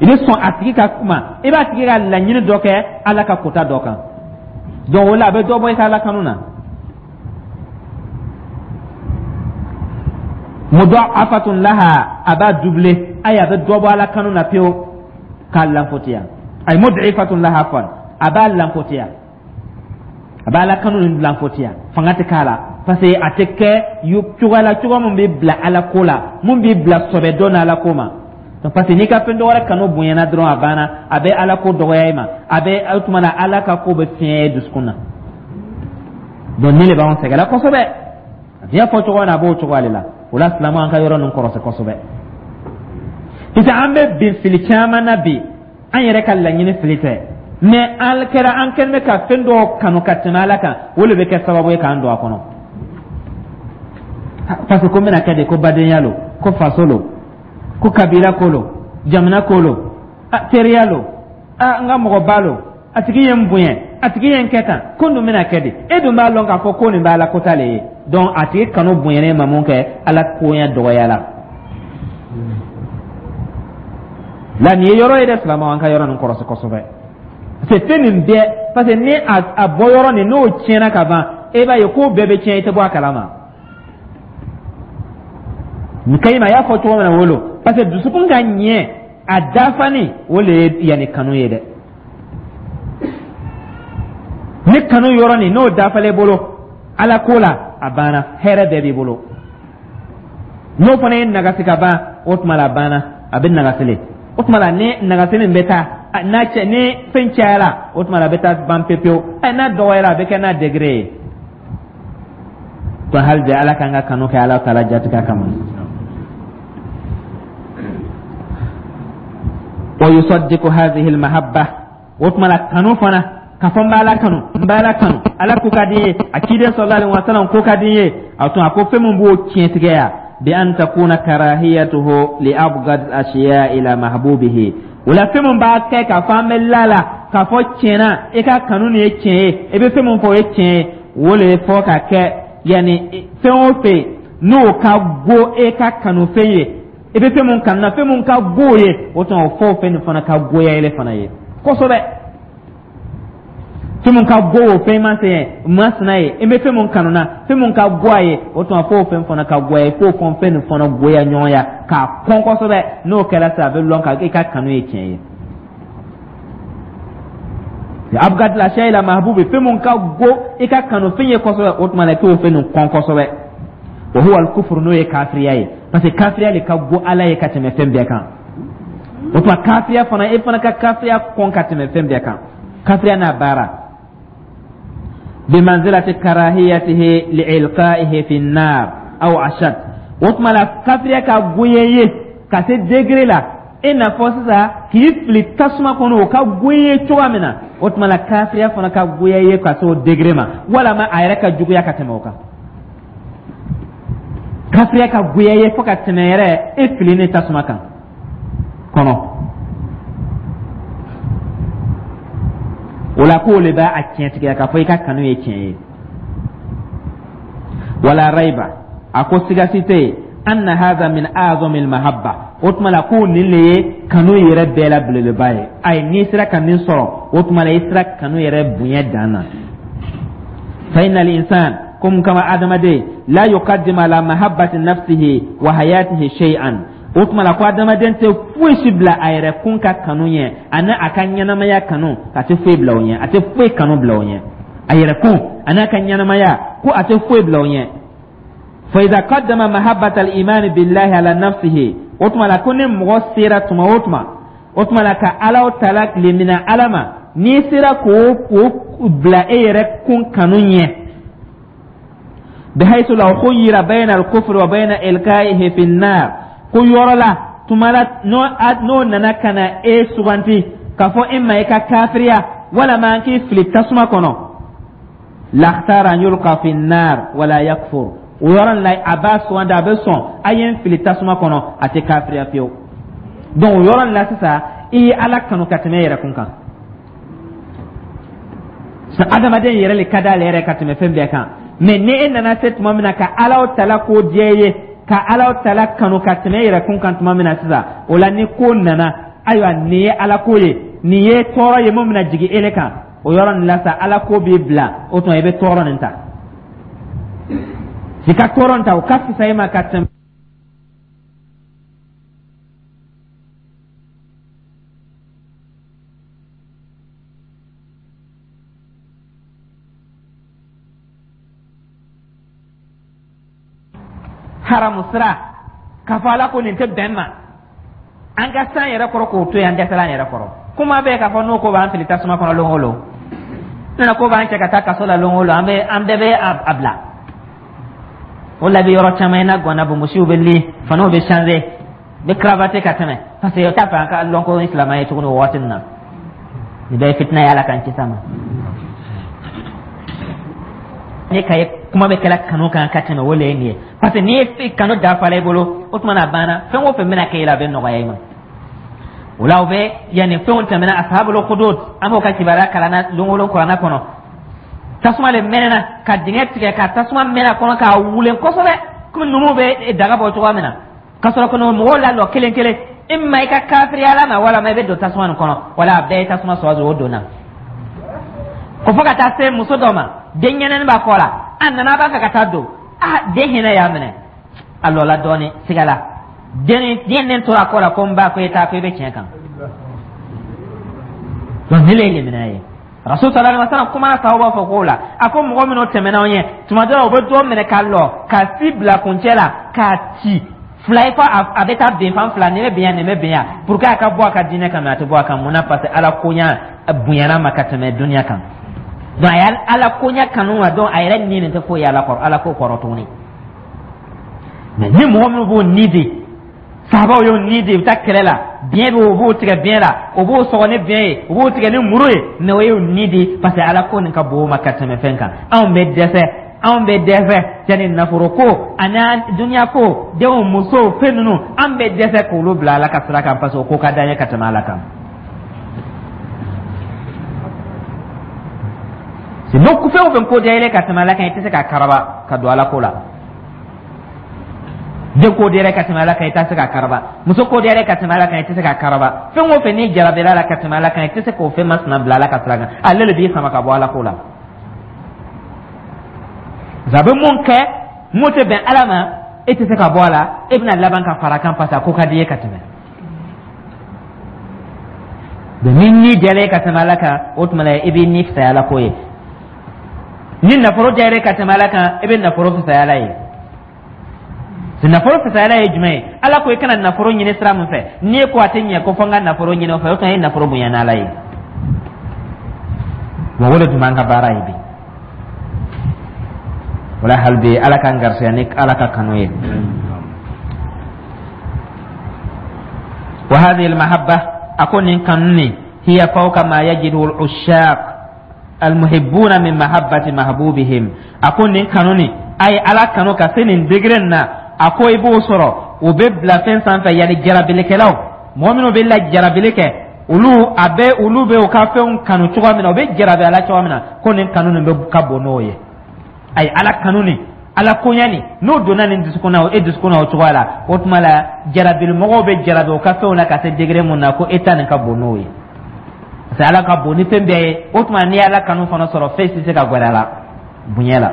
i bɛ sɔn a tigi ka kuma, i b'a tigi ka laɲini dɔ kɛ Ala ka kota dɔ kan. Donc o la a bɛ dɔ bɔ i ka Ala kanu na. Mudɔafatun laha, a b'a doubler, ayi, a bɛ dɔ bɔ Ala kanu na pewu k'a lanfotiya. Ayi, mud'ifatun laha fan, a b'a lanfotiya, a b'a Ala kanu nin lanfotiya, fanga tɛ k'a la, parce que a tɛ kɛ cogoya la, cogoya mun bɛ bila Ala ko la, mun b'i bila sɔbɛ dɔ n'Ala ko ma. Parce que n'i ka fɛn dɔ wɛrɛ kanu bonyana dɔrɔn, a banna, a bɛ Ala ko dɔgɔya i ma, a bɛ o tuma na Ala ka ko bɛ fiɲɛ dusukun na. Donc nin de b'anw sɛgɛnna kosɛbɛ. A y'a fɔ cogo min na, a b'o cogoya de la. O la silamɛw, an ka yɔrɔ ninnu kɔrɔsi kosɛbɛ, parce que an bɛ bin fili caman na bi. An yɛrɛ ka laɲini fili tɛ, mais an kɛra an kɛlen bɛ ka fɛn dɔw kanu ka tɛmɛ Ala kan, o de bɛ kɛ sababu ye k'an don a kɔnɔ. Parce que ko n bɛna kɛ de, ko badenya lo, ko faso lo, ko kabila ko lo, jamana ko lo, teriya lo, n ka mɔgɔba lo, a tigi ye n bonya, a tigi ye n kɛ tan, ko n dun bɛna kɛ di? E dun b'a lɔn k'a fɔ ko nin bɛ Ala kota le ye. Donc a tigi kanu bonyana ma mun kɛ, Ala koɲɛ dɔgɔyala la. Nin ye yɔrɔ ye dɛ, silamɛw, an ka yɔrɔ nin kɔrɔsi kosɛbɛ, parce que fɛn nin bɛɛ, parce que ni a bɔ yɔrɔ nin n'o tiɲɛna ka ban, e b'a ye ko bɛɛ bɛ tiɲɛ, i tɛ bɔ a kalama. Nin kayima a y'a fɔ cogo min na, wolo, parce que dusukun ka ɲɛ a dafani, o le ye yanni kanu ye dɛ. Ni kanu yɔrɔ nin n'o dafalen bolo Ala ko la, a banna, hɛrɛ bɛɛ b'i bolo. N'o fana ye nagasi ka ban, o tuma la a banna, a bɛ nagasile. O tuma la ni nagasili bɛ taa n'a cɛ, ni fɛn cayara, o tuma la a bɛ taa ban pepewu. Ɛ, n'a dɔgɔyara, a bɛ kɛ n'a degré ye. Ko hali bi Ala k'an ka kanu kɛ Ala taala jatigɛ kama. Wa yusaddiqu hadhihi almahabba, o tuma la kanu fana, k'a fɔ n b'Ala kanu, n b'Ala kanu, Ala ko ka di n ye, a ciden sallallahu alaihi wasallam ko ka di n ye, a tun a ko fɛn min b'o tiɲɛtigiya, bi an takuna karahiyatuhu li abghad ashiya ila mahbubihi. O la fɛn min b'a kɛ k'a fɔ an bɛ la la k'a fɔ tiɲɛ na i ka kanu nin ye tiɲɛ ye, i bɛ fɛn min fɔ o ye tiɲɛ ye, o le fɔ ka kɛ yanni fɛn o fɛn n'o ka go e ka kanufɛn ye, i bɛ fɛn mun kanu na, fɛn mun ka go ye, o tuma o fɔ o fɛn nin fana ka goya ele fana ye kosɛbɛ. Fɛn mun ka go o fɛn masina ye, i bɛ fɛn mun kanu na, fɛn mun ka go a ye, o tuma f'o fɛn fana ka goya ye, f'o fɛn fɛn nin fana goya ɲɔgɔnya k'a kɔn kosɛbɛ. N'o kɛra sisan, a bɛ lɔn ka i ka kanu ye tiɲɛ ye. Abghadil ashiya ila mahbubi, fɛn mun ka go i ka kanu fɛn ye kosɛbɛ, o tuma na i k'o fɛn nin kɔn kosɛbɛ. Wa huwa al-kufru, n'o ye kafiriya ye, parce que kafiriya de ka go Ala ye ka tɛmɛ fɛn bɛɛ kan. O tuma kafiriya fana, e fana ka kafiriya kɔn ka tɛmɛ fɛn bɛɛ kan, kafiriya n'a baara. Bimanzilati karahiyatihi liilqaihi fi nnar aw ashad, o tuma la kafiriya ka goya ye ka se degré la i n'a fɔ sisan k'i fili tasuma kɔnɔ, o ka goya ye cogoya min na, o tuma la kafiriya fana ka goya ye ka se o degré ma, walama a yɛrɛ ka juguya ka tɛmɛ o kan. Kafiriya ka goya ye fo ka tɛmɛ yɛrɛ e fili ni tasuma kan kɔnɔ. O O la k'o le b'a tiɲɛtigiya k'a fɔ i ka kanu ye tiɲɛ ye. Wala raiba, a ko siga si tɛ yen, anna hadha min a'zami mahabba. O tuma la ko nin le ye kanu yɛrɛ bɛɛ la belebeleba ye. Ayi, n'i sera ka nin sɔrɔ, o tuma la i sera kanu yɛrɛ bonya dan na. Fa inna al-insan, ko mun kama adamaden, la yuqaddimu ala mahabbati nafsihi wa hayatihi shay'an. O tuma la ko adamaden tɛ foyi si bila a yɛrɛ kun ka kanu ɲɛ ani a ka ɲɛnamaya kanu, a tɛ foyi bila o ɲɛ, a tɛ foyi kanu bila o ɲɛ, a yɛrɛ kun ani a ka ɲɛnamaya, ko a tɛ foyi bila o ɲɛ. Fa idha qaddama mahabbata al-iman billahi ala nafsihi, o tuma la ko ni mɔgɔ sera tuma o tuma, o tuma la ka Ala tala limina Ala ma, n'i sera k'o bila e yɛrɛ kun kanu ɲɛ, bihaythu law khuyyira bayna al-kufri wa bayna ilqaihi fi an-nar, ko yɔrɔ la tuma la n'o nana ka na e suganti k'a fɔ e ma i ka kafiriya walama an k'i fili tasuma kɔnɔ, lakhtara an yulqa fi an-nar wala yakfur. O yɔrɔ la a b'a sugandi, a bɛ sɔn a ye n fili tasuma kɔnɔ, a tɛ kafiriya fiyewu. Donc o yɔrɔ la sisan i ye Ala kanu ka tɛmɛ e yɛrɛ kun kan. Adamaden yɛrɛ le ka d'ale yɛrɛ ka tɛmɛ fɛn bɛɛ kan, mais ni e nana se tuma min na ka Ala tala ko diya i ye, ka Ala tala kanu ka tɛmɛ e yɛrɛ kun kan tuma min na sisan, o la ni ko nana, ayiwa, nin ye Ala ko ye, nin ye tɔɔrɔ ye mun bɛna jigin e kan, o yɔrɔ nin la sa Ala ko b'i bila, o tuma i bɛ tɔɔrɔ nin ta, i ka tɔɔrɔ nin ta, o ka fisa i ma ka tɛmɛ haramu sira k'a fɔ Ala ko nin tɛ bɛn ma, an ka san yɛrɛ kɔrɔ k'o to yen, an dɛsɛla an yɛrɛ kɔrɔ. Kuma bɛɛ k'a fɔ n'o ko b'an fili tasuma kɔnɔ lon o lon, nana ko b'an cɛ ka taa kaso la lon o lon, an bɛ an bɛɛ bɛ a bila o la. Bi yɔrɔ caman i n'a gɔnna bonbosiw bɛ li, faniw bɛ changer, bɛ cravate ka tɛmɛ, parce que o t'a fɛ an ka lɔn ko silamɛ ye tuguni o waati nin na. Nin bɛɛ ye fitina ye, Ala k'an kisi a ma. Ne ka ye kuma bɛ kɛla kanu kan ka tɛmɛ, o le ye nin ye, parce que n'i ye kanu dafala i bolo, o tuma na a banna, fɛn o fɛn bɛna kɛ i la, a bɛ nɔgɔya i ma. O la o bɛ yanni fɛnw tɛmɛna, ashabul hudud, an b'o ka kibaruya kalanna lon o lon kuranna kɔnɔ. Tasuma le mɛnɛna ka dingɛ tigɛ, ka tasuma mɛnɛ a kɔnɔ k'a wulen kosɛbɛ, komi numuw bɛ daga bɔ cogoya min na, ka sɔrɔ ka mɔgɔw lalɔ kelen kelen, i ma i ka kafiriya la ma, walama i bɛ don tasuma nin kɔnɔ, wala a bɛɛ ye tasuma sɔrɔ, o donna ko fo ka taa se muso dɔ ma, den ɲɛnɛni b'a kɔ la, a nana a b'a fɛ ka taa don, a den hinɛ y'a minɛ, a lɔla dɔɔnin sigala, den den tora a kɔ la ko n ba, ko e taa, ko i bɛ tiɲɛ kan. Donc ne le ye lemina ye. Rasul sallallahu alaihi wasallam kumana sababu fɔ ko la, a ko mɔgɔ minnu tɛmɛna aw ɲɛ, tuma dɔ la u bɛ dɔ minɛ ka lɔ ka si bila kuncɛ la k'a ci fila ye, fɔ a bɛ taa bin fan fila, nin bɛ bin yan, nin bɛ bin yan, pour que a ka bɔ a ka diinɛ kan, mais a tɛ bɔ a kan. Mun na? Parce que Ala koɲa bonyana ma ka tɛmɛ duniya kan. Donc a ye Ala koɲa kanu wa, donc a yɛrɛ ni nin tɛ foyi ye Ala kɔrɔ, Ala ko kɔrɔ tuguni. Mais ni mɔgɔ minnu b'o ni di, sahabaw y'o ni di, u bɛ taa kɛlɛ la, biɲɛ bɛ o b'o tigɛ biɲɛ la, o b'o sɔgɔ ni biɲɛ ye, o b'o tigɛ ni muru ye, mais o y'o ni di parce que Ala ko nin ka bon o ma ka tɛmɛ fɛn kan. Anw bɛ dɛsɛ, anw bɛ dɛsɛ yanni nafolo ko ani duniya ko, denw, musow, fɛn ninnu, an bɛ dɛsɛ k'olu bila Ala ka sira kan, parce que o ko ka d'an ye ka tɛmɛ Ala kan. N'o fɛn o fɛn ko diya i ye ka tɛmɛ Ala kan, i tɛ se k'a karaba ka don Ala ko la. Den ko diyara ka tɛmɛ Ala kan, i tɛ se k'a karaba. Muso ko diyara ka tɛmɛ Ala kan, i tɛ se k'a karaba. Fɛn o fɛn n'i jarabila la ka tɛmɛ Ala kan, i tɛ se k'o fɛn masina bila Ala ka sira kan, ale de b'i sama ka bɔ Ala ko la. A bɛ mun kɛ mun tɛ bɛn Ala ma, e tɛ se ka bɔ a la, e bɛna laban ka fara kan, parce que a ko ka di i ye ka tɛmɛ. Donc ni ni diyara e ka tɛmɛ Ala kan, o tuma la i b'i ni fisaya Ala ko ye. Ni nafolo diyara e ka tɛmɛ Ala kan, i bɛ nafolo fisaya Ala ye. Nafolo fisaya Ala ye jumɛn ye? Ala ko i kana nafolo ɲini sira min fɛ, n'i ko a tɛ ɲɛ ko fo n ka nafolo ɲini o fɛ, o tuma i ye nafolo bonya n'Ala ye. Wa o de tun b'an ka baara ye bi. Wala hali bi Ala k'an garisigɛ ni Ala ka kanu ye. Wa hadhihi al-mahabba, a ko nin kanu nin, hiya fawqa ma yajidu al-ushaq almuhibbuna min mahabbati mahbubihim. A ko nin kanu nin, a ye Ala kanu ka se nin degré nin na, a ko i b'o sɔrɔ o bɛ bila fɛn sanfɛ, yanni jarabilikɛlaw, mɔgɔ minnu bɛ la jarabili kɛ. Olu a bɛ olu bɛ u ka fɛnw kanu cogoya min na, u bɛ jarabi a la cogoya min na, ko nin kanu nin bɛ ka bon n'o ye. Ayi, Ala kanu nin, Ala koɲɛ nin, n'o donna nin dusukun na, e dusukun na o cogoya la, o tuma la jarabilimɔgɔw bɛ jarabi u ka fɛnw na ka se degré mun na, ko e ta nin ka bon n'o ye, parce que Ala ka bon ni fɛn bɛɛ ye. O tuma n'i ye Ala kanu fana sɔrɔ, fɛn tɛ se ka gɛrɛ a la bonya la.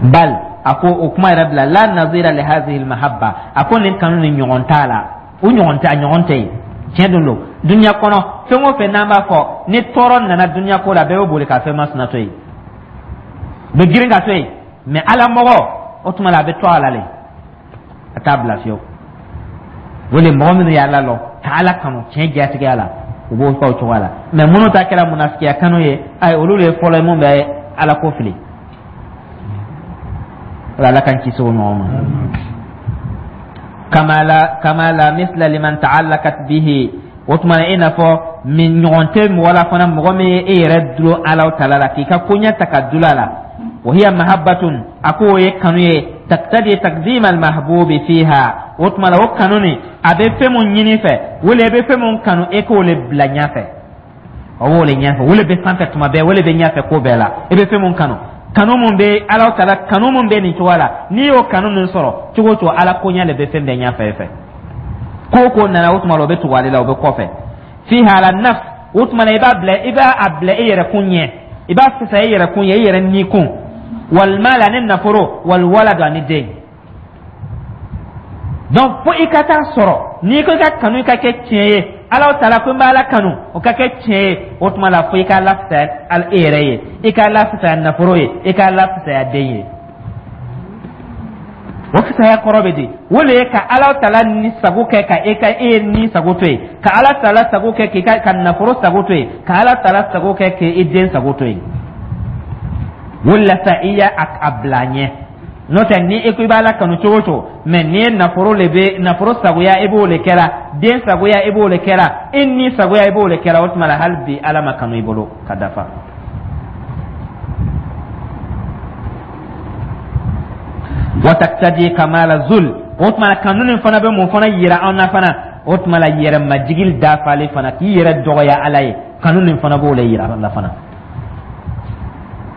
Bal, a ko o kuma yɛrɛ bila, la nazira li hazihi almahabba, a ko nin kanu ni ɲɔgɔn t'a la, u ɲɔgɔn tɛ, a ɲɔgɔn tɛ yen. Tiɲɛ don don dunuya kɔnɔ, fɛn o fɛn n'an b'a fɔ ni tɔɔrɔ nana dunuya ko la, bɛɛ bɛ boli ka fɛn masina to yen, u bɛ girin ka to yen. Mɛ Ala mɔgɔ, o tuma la a bɛ to a la le, a t'a bila fiyewu. O le mɔgɔ minnu y'Ala lɔn ka Ala kanu tiɲɛ jatigiya la, u b'o kɛ o cogoya la. Mɛ minnu ta kɛra munafikiya kanu ye, ayi, olu de ye fɔlɔ ye mun bɛ Ala ko fili. Ala k'an kisi o ɲɔgɔn ma. Kama la misla liman ta'allaqat bihi, o tuma na i n'a fɔ min ɲɔgɔn tɛ mɔgɔ la fana, mɔgɔ min ye e yɛrɛ dulon Ala taala la, k'i ka koɲɛ ta ka dulon a la. Wa hiya mahabbatun, a ko o ye kanu ye, taqtadi taqdim al mahbubi fiha, o tuma la o kanu nin, a bɛ fɛn mun ɲini fɛ, wala i bɛ fɛn mun kanu, e k'o le bila ɲɛfɛ, o b'o le ɲɛfɛ, o le bɛ sanfɛ tuma bɛɛ, o le bɛ ɲɛfɛ ko bɛɛ la. I bɛ fɛn mun kanu, kanu mun bɛ Ala taala, kanu mun bɛ nin cogoya la, n'i y'o kanu nin sɔrɔ cogo o cogo, Ala koɲɛ le bɛ fɛn bɛɛ ɲɛfɛ e fɛ. Ko o ko nana, o tuma la o bɛ tugu ale la, o bɛ kɔfɛ. Fiha ala nafs, o tuma la i b'a bila, i b'a a bila e yɛrɛ kun ɲɛ, i b'a fisaya e yɛrɛ kun ɲɛ, e yɛrɛ ni kun, wal mal, ani nafolo, wal walad, ani den. Donc fo i ka taa sɔrɔ n'i ko i ka kanu ka kɛ tiɲɛ ye, Ala taala ko n b'Ala kanu, o ka kɛ tiɲɛ ye, o tuma la fo i k'a lafisaya e yɛrɛ ye, i k'a lafisaya nafolo ye, i k'a lafisaya den ye. O fisaya kɔrɔ bɛ di? O le ye ka Ala taala ni sago kɛ, ka e ka e ni sago to yen, ka Ala taala sago kɛ, k'i ka nafolo sago to yen, ka Ala taala sago kɛ, k'i den sago to yen. O la sa i y'a a bila ɲɛ. N'o tɛ, ni e ko i b'Ala kanu cogo o cogo, mɛ n'i ye nafolo le bɛ nafolo sagoya, i b'o le kɛra, den sagoya, i b'o le kɛra, e ni sagoya, i b'o le kɛra, o tuma la hali bi Ala ma kanu i bolo ka dafa. Wa taktadi kamala zul, o tuma la kanu nin fana bɛ mun fana yira an na fana? O tuma la yɛrɛ majigili dafalen fana, k'i yɛrɛ dɔgɔya Ala ye, kanu nin fana b'o le yira an na fana.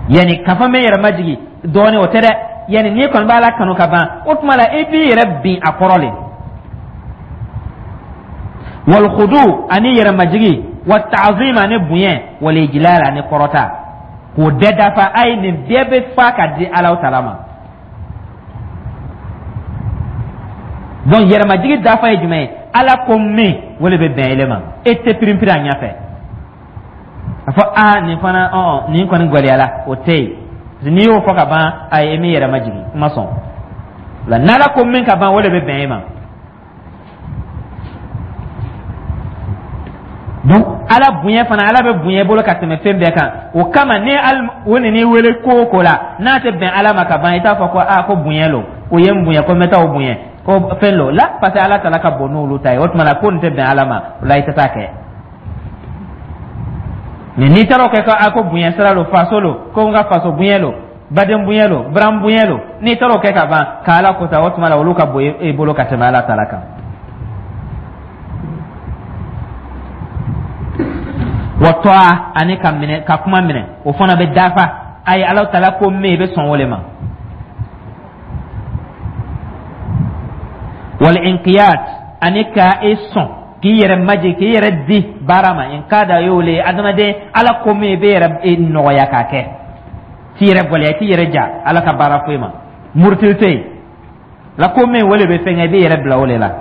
Yani k'a fɔ n bɛ yɛrɛ majigi dɔɔnin, o tɛ dɛ. Yani n'i kɔni b'Ala kanu ka ban, o tuma la i b'i yɛrɛ bin a kɔrɔ le. Wal khudu, ani yɛrɛ majigi, wa ta'zim, ani bonya, wal ijlal, ani kɔrɔta, k'o bɛɛ dafa. Ayi, nin bɛɛ bɛ fa ka di Ala taala ma. Donc yɛrɛmajigi dafa ye jumɛn ye? Ala ko min, o le bɛ bɛn ele ma, e tɛ pirinpirin a ɲɛfɛ a fɔ aa nin fana ɔ nin kɔni gɛlɛyala, o tɛ yen. N'i y'o fɔ ka ban, ayi, e m'i yɛrɛ majigin, n ma sɔn la. N'Ala ko min ka ban, o de bɛ bɛn e ma. Donc Ala bonya fana, Ala bɛ bonya i bolo ka tɛmɛ fɛn bɛɛ kan. O kama ni o nan'i wele ko o ko la, n'a tɛ bɛn Ala ma ka ban, i t'a fɔ ko aa ko bonya lo, o ye n bonya ko n bɛ taa o bonya, ko fɛn lo la, parce que Ala taala ka bon n'olu ta ye. O tuma na ko nin tɛ bɛn Ala ma, o la i tɛ taa kɛ. Mɛ n'i taara o kɛ ko a ko bonya sira lo, faso lo, ko n ka faso bonya lo, baden bonya lo, baran bonya lo, n'i taara o kɛ ka ban ka Ala kota, o tuma la olu ka bon i bolo ka tɛmɛ Ala taala kan. Wa tɔa, ani ka minɛ, ka kuma minɛ, o fana bɛ dafa. Ayi, Ala taala ko min, i bɛ sɔn o le ma. Wal inqiyad, ani ka i sɔn k'i yɛrɛ majigin, k'i yɛrɛ di baara ma. Inqada y'o le ye, adamaden, Ala ko min, i bɛ yɛrɛ nɔgɔya k'a kɛ, t'i yɛrɛ gɛlɛya, t'i yɛrɛ ja Ala ka baara foyi ma, murutili tɛ yen la. Ko min, o le bɛ fɛn kɛ, i b'i yɛrɛ bila o le la.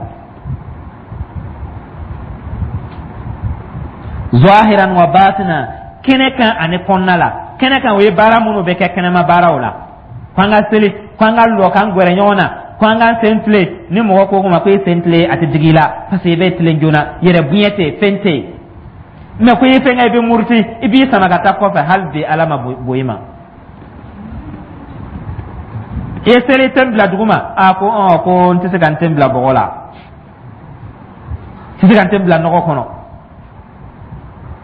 Zahiran wa batina, kɛnɛ kan ani kɔnɔna la. Kɛnɛ kan, o ye baara minnu bɛ kɛ kɛnɛma baaraw la, ko an ka seli, ko an ka lɔ k'an gɛrɛ ɲɔgɔn na, ko an k'an sen tilen. Ni mɔgɔ ko ma ko i sen tilen, a tɛ digi i la, parce que i bɛ tilen joona, yɛrɛ bonya tɛ yen, fɛn tɛ yen. Mɛ ko i ye fɛn kɛ, i bɛ muruti, i b'i sama ka taa kɔfɛ, hali bi Ala ma bon i ma. I ye seli ten bila duguma, a ko ɔ ko n tɛ se ka n ten bila bɔgɔ la, n tɛ se ka n ten bila nɔgɔ kɔnɔ.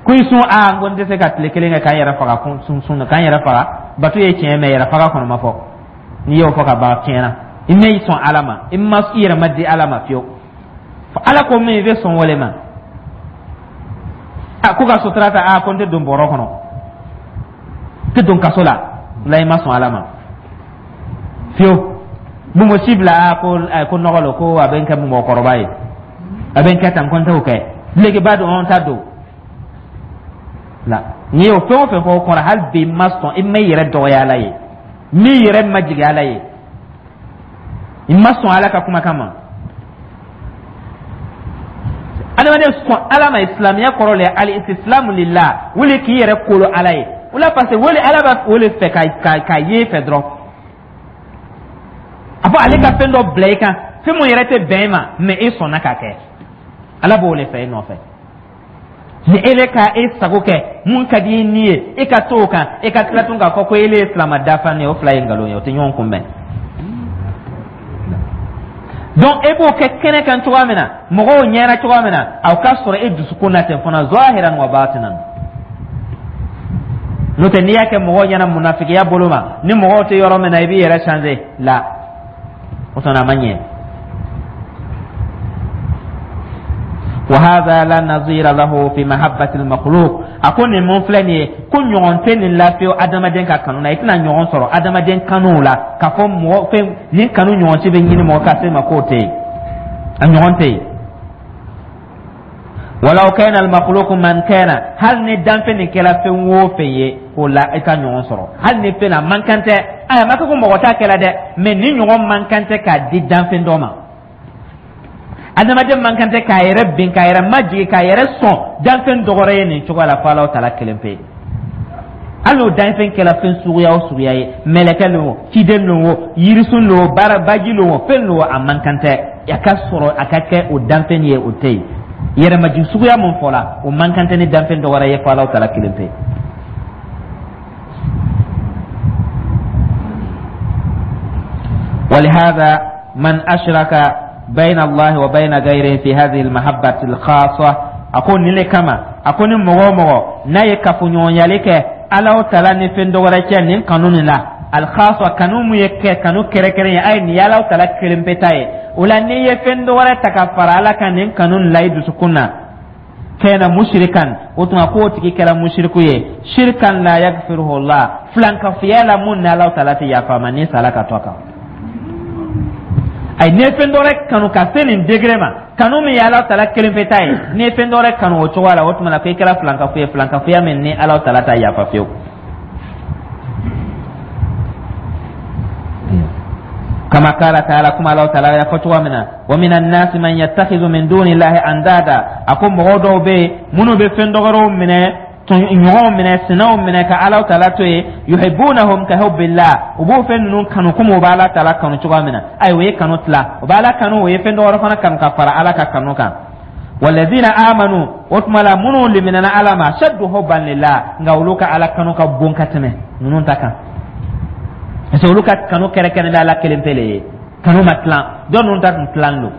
Ko i sun, a ko n tɛ se ka tile kelen kɛ k'an yɛrɛ faga sun sun k'an yɛrɛ faga. Bato ye tiɲɛ, mɛ yɛrɛ faga kɔnɔ ma fɔ. N'i y'o fɔ ka ban, tiɲɛ na i ma i sɔn Ala ma, i ma i yɛrɛ ma di Ala ma fiyewu. Ala ko min, i bɛ sɔn wale ma. A ko ka sutura ta, a ko n tɛ don bɔrɔ kɔnɔ, n tɛ don kaso la. La, i ma sɔn Ala ma fiyewu. Bonbonsi bila, a ko nɔgɔ lo, ko a bɛ n kɛ mɔgɔkɔrɔba ye, a bɛ n kɛ tan, ko n t'o kɛ. Dulokiba don, n t'a don la. N'i y'o fɛn o fɛn fɔ, o kɔrɔ hali bi i ma sɔn, i ma i yɛrɛ dɔgɔya Ala ye, n'i yɛrɛ majigin Ala ye, i ma sɔn Ala ka kumakan ma. Adamaden sɔn Ala ma, silamɛya kɔrɔ le al istislamu lillah, wele k'i yɛrɛ kolo Ala ye o la, parce que wele Ala b'a wele fɛ ka ye fɛ dɔrɔn. A fɔ ale ka fɛn dɔ bila i kan, fɛn mun yɛrɛ tɛ bɛn i ma, mais e sɔnna k'a kɛ, Ala b'o le fɛ e nɔfɛ. Ni e bɛ ka e sago kɛ, mun ka di i ni ye, e ka to o kan, e ka tila tun k'a fɔ ko ele ye silama dafanen ye, o fila ye nkalon ye, o tɛ ɲɔgɔn kunbɛn. Donc e b'o kɛ kɛnɛ kan cogoya min na, mɔgɔw ɲɛna cogoya min na, aw ka sɔrɔ e dusukun na ten fana, zahiran wa batinan. N'o tɛ, n'i y'a kɛ mɔgɔw ɲɛna munafigiya bolo ma, ni mɔgɔw tɛ yɔrɔ min na, i b'i yɛrɛ changer la, o sɔnna a ma ɲɛ. Wa hadha la nazira lahu fi mahabbati al-makhluq. A ko nin mun filɛ nin ye, ko ɲɔgɔn tɛ nin la fiyewu adamaden ka kanu na. I tɛna ɲɔgɔn sɔrɔ adamaden kanu la k'a fɔ mɔgɔ fɛn nin kanu ɲɔgɔn si bɛ ɲini mɔgɔ ka se ma, k'o tɛ yen, a ɲɔgɔn tɛ yen. Walaw kana al-makhluq man kana, hali ni danfɛn nin kɛra fɛn o fɛn ye, k'o la i ka ɲɔgɔn sɔrɔ, hali ni fɛn na man kan tɛ. Ayi, a ma kɛ ko mɔgɔ t'a kɛla dɛ, mais nin ɲɔgɔn man kan tɛ k'a di danfɛn dɔ ma. Adamaden man kan tɛ k'a yɛrɛ bin, k'a yɛrɛ majigin, k'a yɛrɛ sɔn danfɛn dɔ wɛrɛ ye nin cogoya la, fo Alahu taala kelen pe. Hali n'o danfɛn kɛra fɛn suguya o suguya ye, mɛlɛkɛ lo o, ciden lo o, yirisun lo o, baara baji lo o, fɛn lo o, a man kan tɛ a ka sɔrɔ a ka kɛ o danfɛn ye, o tɛ yen. Yɛrɛmajigin suguya mun fɔla, o man kan tɛ ni danfɛn dɔ wɛrɛ ye fo Alahu taala kelen pe. ولهذا من أشرك بين الله وبين غيره في هذه المحبة الخاصة, a ko nin le kama, a ko ni mɔgɔ o mɔgɔ n'a ye kafoɲɔgɔnyali kɛ Alahu taala ni fɛn dɔ wɛrɛ cɛ nin kanu nin la, alkhasa, kanu mun ye kɛ kanu kɛrɛnkɛrɛn ye, ayi, nin ye Alahu taala kelen pe ta ye, o la n'i ye fɛn dɔ wɛrɛ ta ka fara Ala kan nin kanu nin la i dusukun na, kana mushrikan, o tuma k'o tigi kɛra mushriku ye, shirkan la yaghfiruhu Allah, filankafoya la mun ni Alahu taala tɛ yafa ma ni sala ka to a kan. Ayi, n'i ye fɛn dɔ wɛrɛ kanu ka se nin degré ma, kanu min ye Alahu taala kelen pe ta ye, n'i ye fɛn dɔ wɛrɛ kanu o cogoya la, o tuma na ko i kɛra filankafo ye, filankafoya min ni Alahu taala t'a yafa fiyewu. Kama kala taala, kuma Alahu taala y'a fɔ cogoya min na, wa minan nasi man yattakhidhu min dunillahi andada, a ko mɔgɔ dɔw bɛ yen minnu bɛ fɛn dɔ wɛrɛw minɛ, ɲɔgɔnw minɛ, sinaw minɛ ka Alahu taala to yen, yuhibbunahum ka hubbillah, u b'o fɛn ninnu kanu komi u b'Ala taala kanu cogoya min na. Ayi, o ye kanu tila, u b'Ala kanu, o ye fɛn dɔ wɛrɛ fana kanu ka fara Ala ka kanu kan. Walladina amanu, o tuma la minnu liminana Ala ma, ashaddu hubban lillah, nka olu ka Ala kanu ka bon ka tɛmɛ ninnu ta kan, parce que olu ka kanu kɛrɛnkɛrɛn bɛ Ala kelen pe le ye, kanu ma tilan. Dɔ ninnu ta tun tilan don,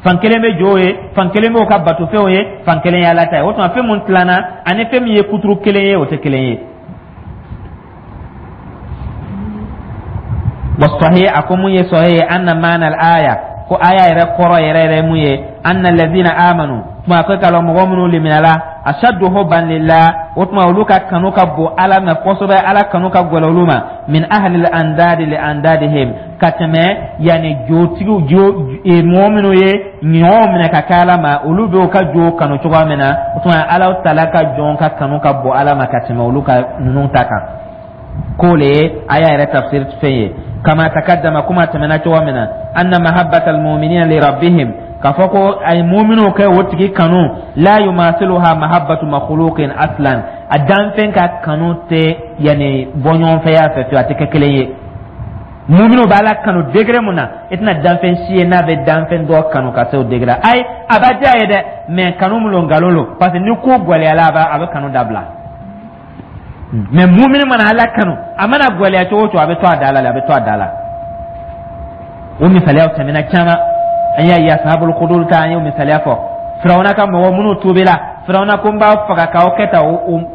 fan kelen bɛ jow ye, fan kelen b'o ka batofɛnw ye, fan kelen ye Ala ta ye. O tuma fɛn mun tilanna ani fɛn min ye kuturu kelen ye, o tɛ kelen ye. Wasahi, a ko mun ye sɔhi ye, anna maana aya, ko aya yɛrɛ kɔrɔ yɛrɛ yɛrɛ mun ye, anna lazina amanu, tuma ko k'a lɔn mɔgɔ minnu liminala, ashaddu hubban lillah, o tuma olu ka kanu ka bon Ala ma kosɛbɛ, Ala kanu ka gɛlɛn olu ma, min ahlil andadi li andadihim, ka tɛmɛ yanni jotigiw jo e, mɔgɔ minnu ye ɲɔgɔn minɛ ka kɛ Ala ma, olu bɛ u ka jo kanu cogoya min na, o tuma Ala taala ka jɔn ka kanu ka bon Ala ma ka tɛmɛ olu ka ninnu ta kan. K'o le ye aya yɛrɛ tafsir fɛn ye. Kama takaddama, kuma tɛmɛna cogo min na, anna mahabbata almu'minina li rabbihim, k'a fɔ ko ay mu'minu kɛ o tigi kanu, la yumasiluha mahabbatu makhluqin aslan, a danfɛn ka kanu tɛ yanni bɔ ɲɔgɔnfɛya fɛ fiyewu, a tɛ kɛ kelen ye. Muminu bɛ Ala kanu degré mun na, i tɛna danfɛn si ye n'a bɛ danfɛn dɔ kanu ka se o degré. Ayi, a b'a diya ye dɛ, mais kanu mun lo, nkalon lo, parce que ni ko gɛlɛyala, a bɛ kanu dabila. Mais mumini mana Ala kanu, a mana gɛlɛya cogo o cogo, a bɛ to a da la, a bɛ to a da la. O misaliyaw tɛmɛna caman, an y'a ye ashabul hudud ta, an y'o misaliya fɔ. Firawuna ka mɔgɔ minnu tuubila, Firawuna ko n b'aw faga k'aw kɛ tan,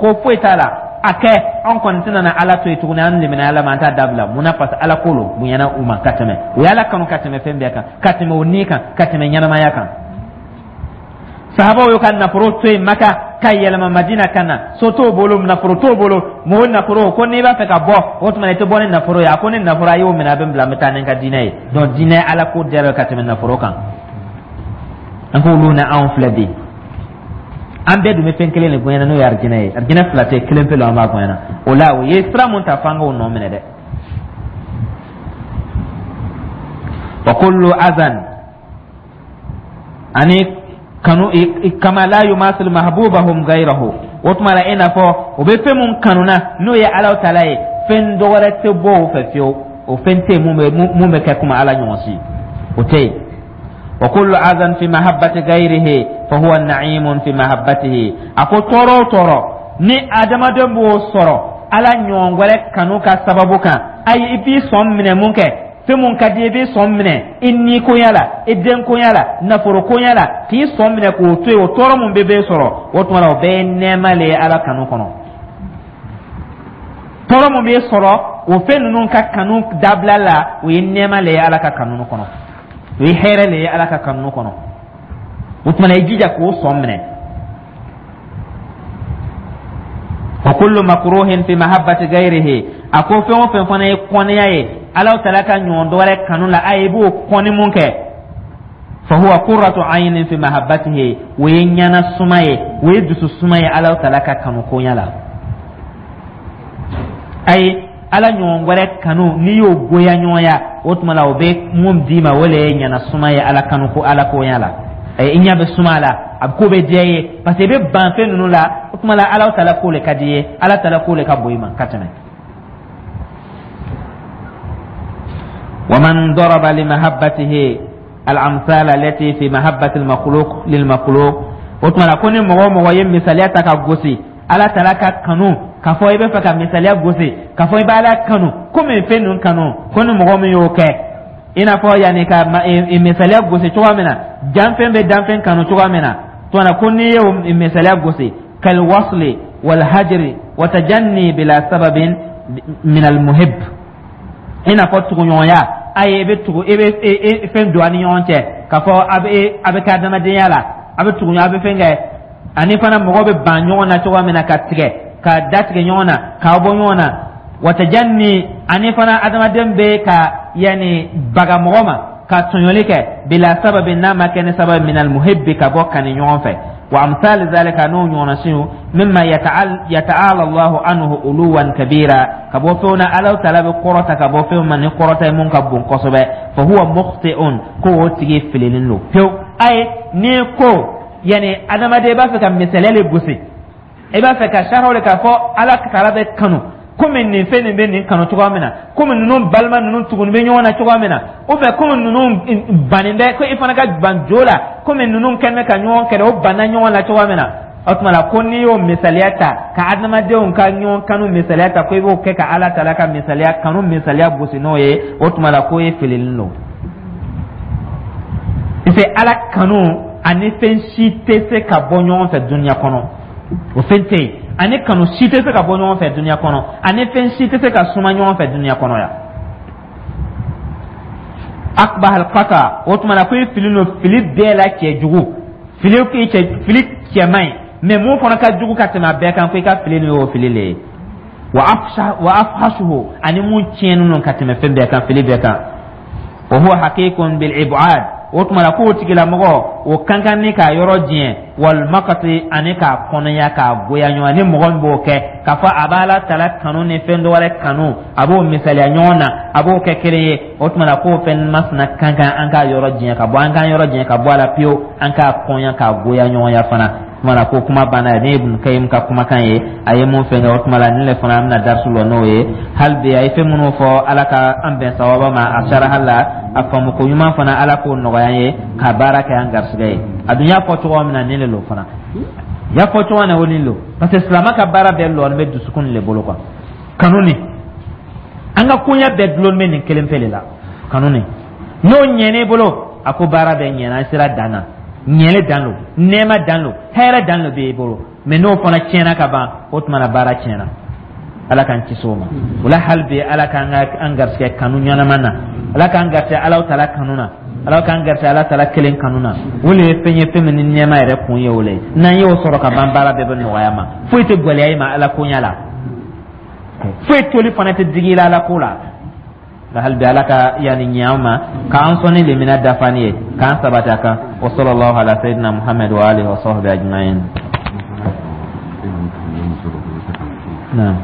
ko foyi t'a la, a kɛ, an kɔni tɛna na Ala to yen tuguni, an limina Ala ma, an t'a dabila. Mun na? Parce que Ala ko lo bonyana u ma ka tɛmɛ, u ye Ala kanu ka tɛmɛ fɛn bɛɛ kan, ka tɛmɛ o ni kan, ka tɛmɛ ɲɛnamaya kan. Sahabaw y'u ka nafolo to yen Maka ka yɛlɛma Madina ka na. So t'o bolo, nafolo t'o bolo, mɔgɔ nafolo ko n'i b'a fɛ ka bɔ, o tuma i tɛ bɔ ni nafolo ye. A ko ni nafolo, a y'o minɛ, a bɛ n bila, n bɛ taa ni n ka diinɛ ye. Donc diinɛ, Ala ko diyara ka tɛmɛ nafolo kan. An k'olu ni anw filɛ bi, an bɛɛ dun bɛ fɛn kelen de gɛnna, n'o ye arijinɛ ye. Arijinɛ fila tɛ, kelen pe an b'a gɛnna. O la, o ye sira mun ta, f'an k'o nɔ minɛ dɛ. Wa kullu azan ani kanu kama la yumasil mahbubahum ghayrahu. O tuma la, i n'a fɔ o bɛ fɛn mun kanuna, n'o ye Ala taala ye, fɛn dɔ wɛrɛ tɛ bɔ o fɛ fiyewu. O fɛn tɛ yen mun bɛ kɛ komi Ala ɲɔgɔn si, o tɛ yen. Wa kullu azan fi mahabbati ghayrihi fa huwa na'imun fi mahabbatihi. A ko tɔɔrɔ o tɔɔrɔ ni adamaden b'o sɔrɔ Ala ɲɔgɔn wɛrɛ kanu ka sababu kan, ayi, i b'i sɔn minɛ mun kɛ, fɛn mun ka di i b'i sɔn minɛ i ni koɲa la, i den koɲa la, nafolo koɲa la, k'i sɔn minɛ k'o to yen, o tɔɔrɔ mun bɛ sɔrɔ, o tuma la, o bɛɛ ye nɛɛma le ye Ala kanu kɔnɔ. Tɔɔrɔ mun bɛ sɔrɔ o fɛn ninnu ka kanu dabila la, o ye nɛɛma le ye Ala ka kanu kɔnɔ, o ye hɛrɛ le ye Ala ka kanu kɔnɔ. O tuma na, i jija k'o sɔn minɛ. Wa kullu makruhin fi mahabbati ghayrihi. A ko fɛn o fɛn fana ye kɔniya ye Ala taala ka ɲɔgɔn dɔ wɛrɛ kanu la, a i b'o kɔni mun kɛ, fa huwa qurratu aynin fi mahabbatihi, o ye ɲɛna suma ye, o ye dusu suma ye Ala taala ka kanu koɲa la. Ayi, Ala ɲɔgɔn wɛrɛ kanu, n'i y'o goya ɲɔgɔnya, o tuma la, o bɛ mun d'i ma, o le ye ɲɛna suma ye Ala kanu ko Ala koɲa la. I ɲɛ bɛ suma la, a ko bɛ diya i ye, parce que i bɛ ban fɛn ninnu la. O tuma la, Ala taala ko le ka di i ye, Ala taala ko le ka bon i ma ka tɛmɛ. ومن ضرب لمحبته الأمثال التي في محبة المخلوق للمخلوق. O tuma la, ko ni mɔgɔ o mɔgɔ ye misaliya ta ka gosi Ala taala ka kanu, k'a fɔ i bɛ fɛ ka misaliya gosi k'a fɔ i bɛ Ala kanu komi fɛn ninnu kanu, ko ni mɔgɔ min y'o kɛ, i n'a fɔ yanni ka misaliya gosi cogoya min na, danfɛn bɛ danfɛn kanu cogoya min na, tuma na, ko n'i y'o misaliya gosi, kal wasli wal hajri wa tajanni bila sababin min al muhib, i n'a fɔ tuguɲɔgɔnya, a ye i bɛ tugu, i bɛ fɛn don a ni ɲɔgɔn cɛ, k'a fɔ a bɛ kɛ adamadenya la, a bɛ tugu ɲɔgɔn, a bɛ fɛn kɛ, ani fana mɔgɔ bɛ ban ɲɔgɔn na cogoya min na, ka tigɛ ka datigɛ ɲɔgɔn na, k'aw bɔ ɲɔgɔn na, watajanni, ani fana adamaden bɛ ka yanni baga mɔgɔ ma ka tɔɲɔli kɛ, bila sababi, n'a ma kɛ ni sababi, minal muhibbi, ka bɔ kani ɲɔgɔn fɛ, wa amsal zalika, n'o ɲɔgɔnna siw, mimma yata'ala Allahu anhu uluwan kabira, ka bɔ fɛnw na Ala taala bɛ kɔrɔta ka bɔ fɛnw ma ni kɔrɔta ye mun ka bon kosɛbɛ, fa huwa mukhti'un, ko o tigi filinen don pewu. Ayi, n'i ko yani adamaden b'a fɛ ka misaliya le gosi, i b'a fɛ ka sariyaw le k'a fɔ Ala taala bɛ kanu komi nin fɛn nin bɛ nin kanu cogoya min na, komi ninnu balima ninnu tugunin bɛ ɲɔgɔn na cogoya min na, ou bien komi ninnu bannen bɛ, ko i fana ka ban jo la komi ninnu kɛlen bɛ ka ɲɔgɔn kɛlɛ, o banna ɲɔgɔn na cogoya min na. O tuma la, ko n'i y'o misaliya ta ka adamadenw ka ɲɔgɔn kanu misaliya ta, ko i b'o kɛ ka Ala taala ka misaliya kanu misaliya gosi n'o ye, o tuma la, k'o ye filili don, parce que Ala kanu ani fɛn si tɛ se ka bɔ ɲɔgɔn fɛ dunuya kɔnɔ, o fɛn tɛ yen. Ani kanu si tɛ se ka bɔ ɲɔgɔn fɛ dunuya kɔnɔ, ani fɛn si tɛ se ka suma ɲɔgɔn fɛ dunuya kɔnɔ yan. Akbah alqata. O tuma na, ko i fili don fili bɛɛ la cɛ jugu fili, k'i cɛ fili cɛman ye, mais mun fana ka jugu ka tɛmɛ a bɛɛ kan, ko i ka fili nin y'o fili le ye. Wa afhashuhu, ani mun tiɲɛnen don ka tɛmɛ fɛn bɛɛ kan, fili bɛɛ kan. Wa huwa haqiqun bil ib'ad. O tuma la, k'o tigilamɔgɔ o kan kan ni k'a yɔrɔ diɲɛ, wal maqati, ani k'a kɔnɔya, k'a goya ɲɔgɔn. Ni mɔgɔ min b'o kɛ k'a fɔ a b'Ala tala kanu ni fɛn dɔ wɛrɛ kanu, a b'o misaliya ɲɔgɔn na, a b'o kɛ kelen ye, o tuma la, k'o fɛn masina kan kan an k'a yɔrɔ diɲɛ ka bɔ, an k'an yɔrɔ diɲɛ ka bɔ a la pewu, an k'a kɔnya k'a goya ɲɔgɔnya fana. Tuma la, ko kuma banna. Ne ye Ibn Kayim ka kumakan ye, a ye mun fɛn kɛ. O tuma la, nin le fana an bɛna darisu lɔ n'o ye. Hali bi, a ye fɛn minnu fɔ, Ala ka an bɛn sawaba ma a saraha la. A faamuko ɲuman fana, Ala k'o nɔgɔya an ye ka baara kɛ an garisigɛ ye. A dun y'a fɔ cogo min na, nin le lo fana y'a fɔ cogo min na, o nin lo, parce que silamɛ ka baara bɛɛ lɔnin bɛ dusukun le bolo quoi. Kanu ni an ka koɲɛ bɛɛ dulon bɛ nin kelen pe le la, kanu ni. N'o ɲɛn'i bolo, a ko baara bɛɛ ɲɛna, an sera dan na, ɲɛli dan lo, nɛɛma dan lo, hɛrɛ dan lo b'e bolo. Mais n'o fana tiɲɛna ka ban, o tuma na baara tiɲɛna. Ala k'an kisi o ma. O la, hali bi, Ala k'an ka an garisɛgɛ kanu ɲɛnama na, Ala k'an garisɛgɛ Alaw tala kanu na. Ala k'an garisɛ Ala Taala kelen kanu na. O le ye fɛn ye, fɛn min ni nɛɛma yɛrɛ kun ye o le ye. N'an y'o sɔrɔ ka ban, baara bɛɛ bɛ nɔgɔya ma. Foyi tɛ gɛlɛya i ma Ala koɲa la, foyi toli fana tɛ digi i la Ala ko la. Nka hali bi, Ala ka yanni ɲɛ an ma, k'an sɔn ni lemina dafani ye, k'an sabati a kan. Wa sallallahu ala sayyidina Muhammad wa alihi wa sahbihi ajma'in. Naam.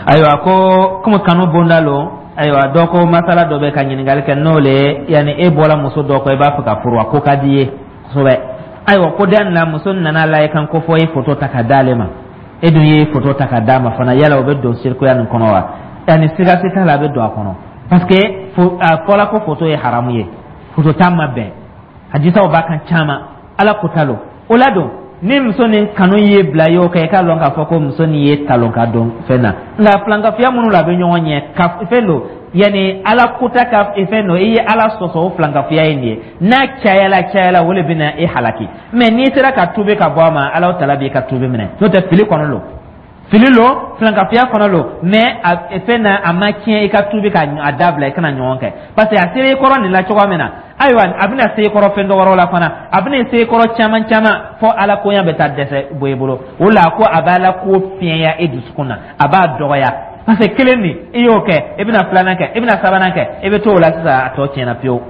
Ayiwa, ko komi kanu bonda lo, ayiwa, dɔ ko masala dɔ bɛ ka ɲininkali kɛ, n'o le ye yanni e bɔra muso dɔ kɔ, i b'a fɛ ka furu, a ko ka di i ye kosɛbɛ. Ayiwa, ko den na muso nana la i kan ko fɔ i ye foto ta ka d'ale ma, e dun ye foto ta ka d'a ma fana, yala o bɛ don sirikuya nin kɔnɔ wa? Yanni siga si t'a la, a bɛ don a kɔnɔ, parce que a fɔla ko foto ye haramu ye, foto ta ma bɛn, hadisaw b'a kan caman, Ala ko ta lo. O la don ni muso nin kanu ye bila y'o kɛ, i k'a lɔn k'a fɔ ko muso nin ye talon ka don fɛn na. Nka filankafoya minnu la a bɛ ɲɔgɔn ɲɛ ka fɛn don, yanni Ala kota ka fɛn don, i ye Ala sɔsɔ, o filankafoya ye nin ye. N'a cayala cayala, o de bɛna e halaki. Mais n'i sera ka tubi ka bɔ a ma, Ala tala b'i ka tubi minɛ. N'o tɛ, fili kɔnɔ lo, fili lo, filankafoya fana lo, mais a fɛn na a ma tiɲɛ. I ka tubi ka a dabila, i kana ɲɔgɔn kɛ, parce que a sera i kɔrɔ nin la cogoya min na, ayiwa, a bɛna se i kɔrɔ fɛn dɔ wɛrɛw la fana, a bɛna se i kɔrɔ caman caman, fo Ala koɲa bɛ taa dɛsɛ bɔ i bolo. O la ko a bɛ Ala ko fiɲɛya e dusukun na, a b'a dɔgɔya, parce que kelen nin i y'o kɛ, i bɛna filanan kɛ, i bɛna sabanan kɛ, i bɛ t'o la sisan, a tɔ tiɲɛna pewu.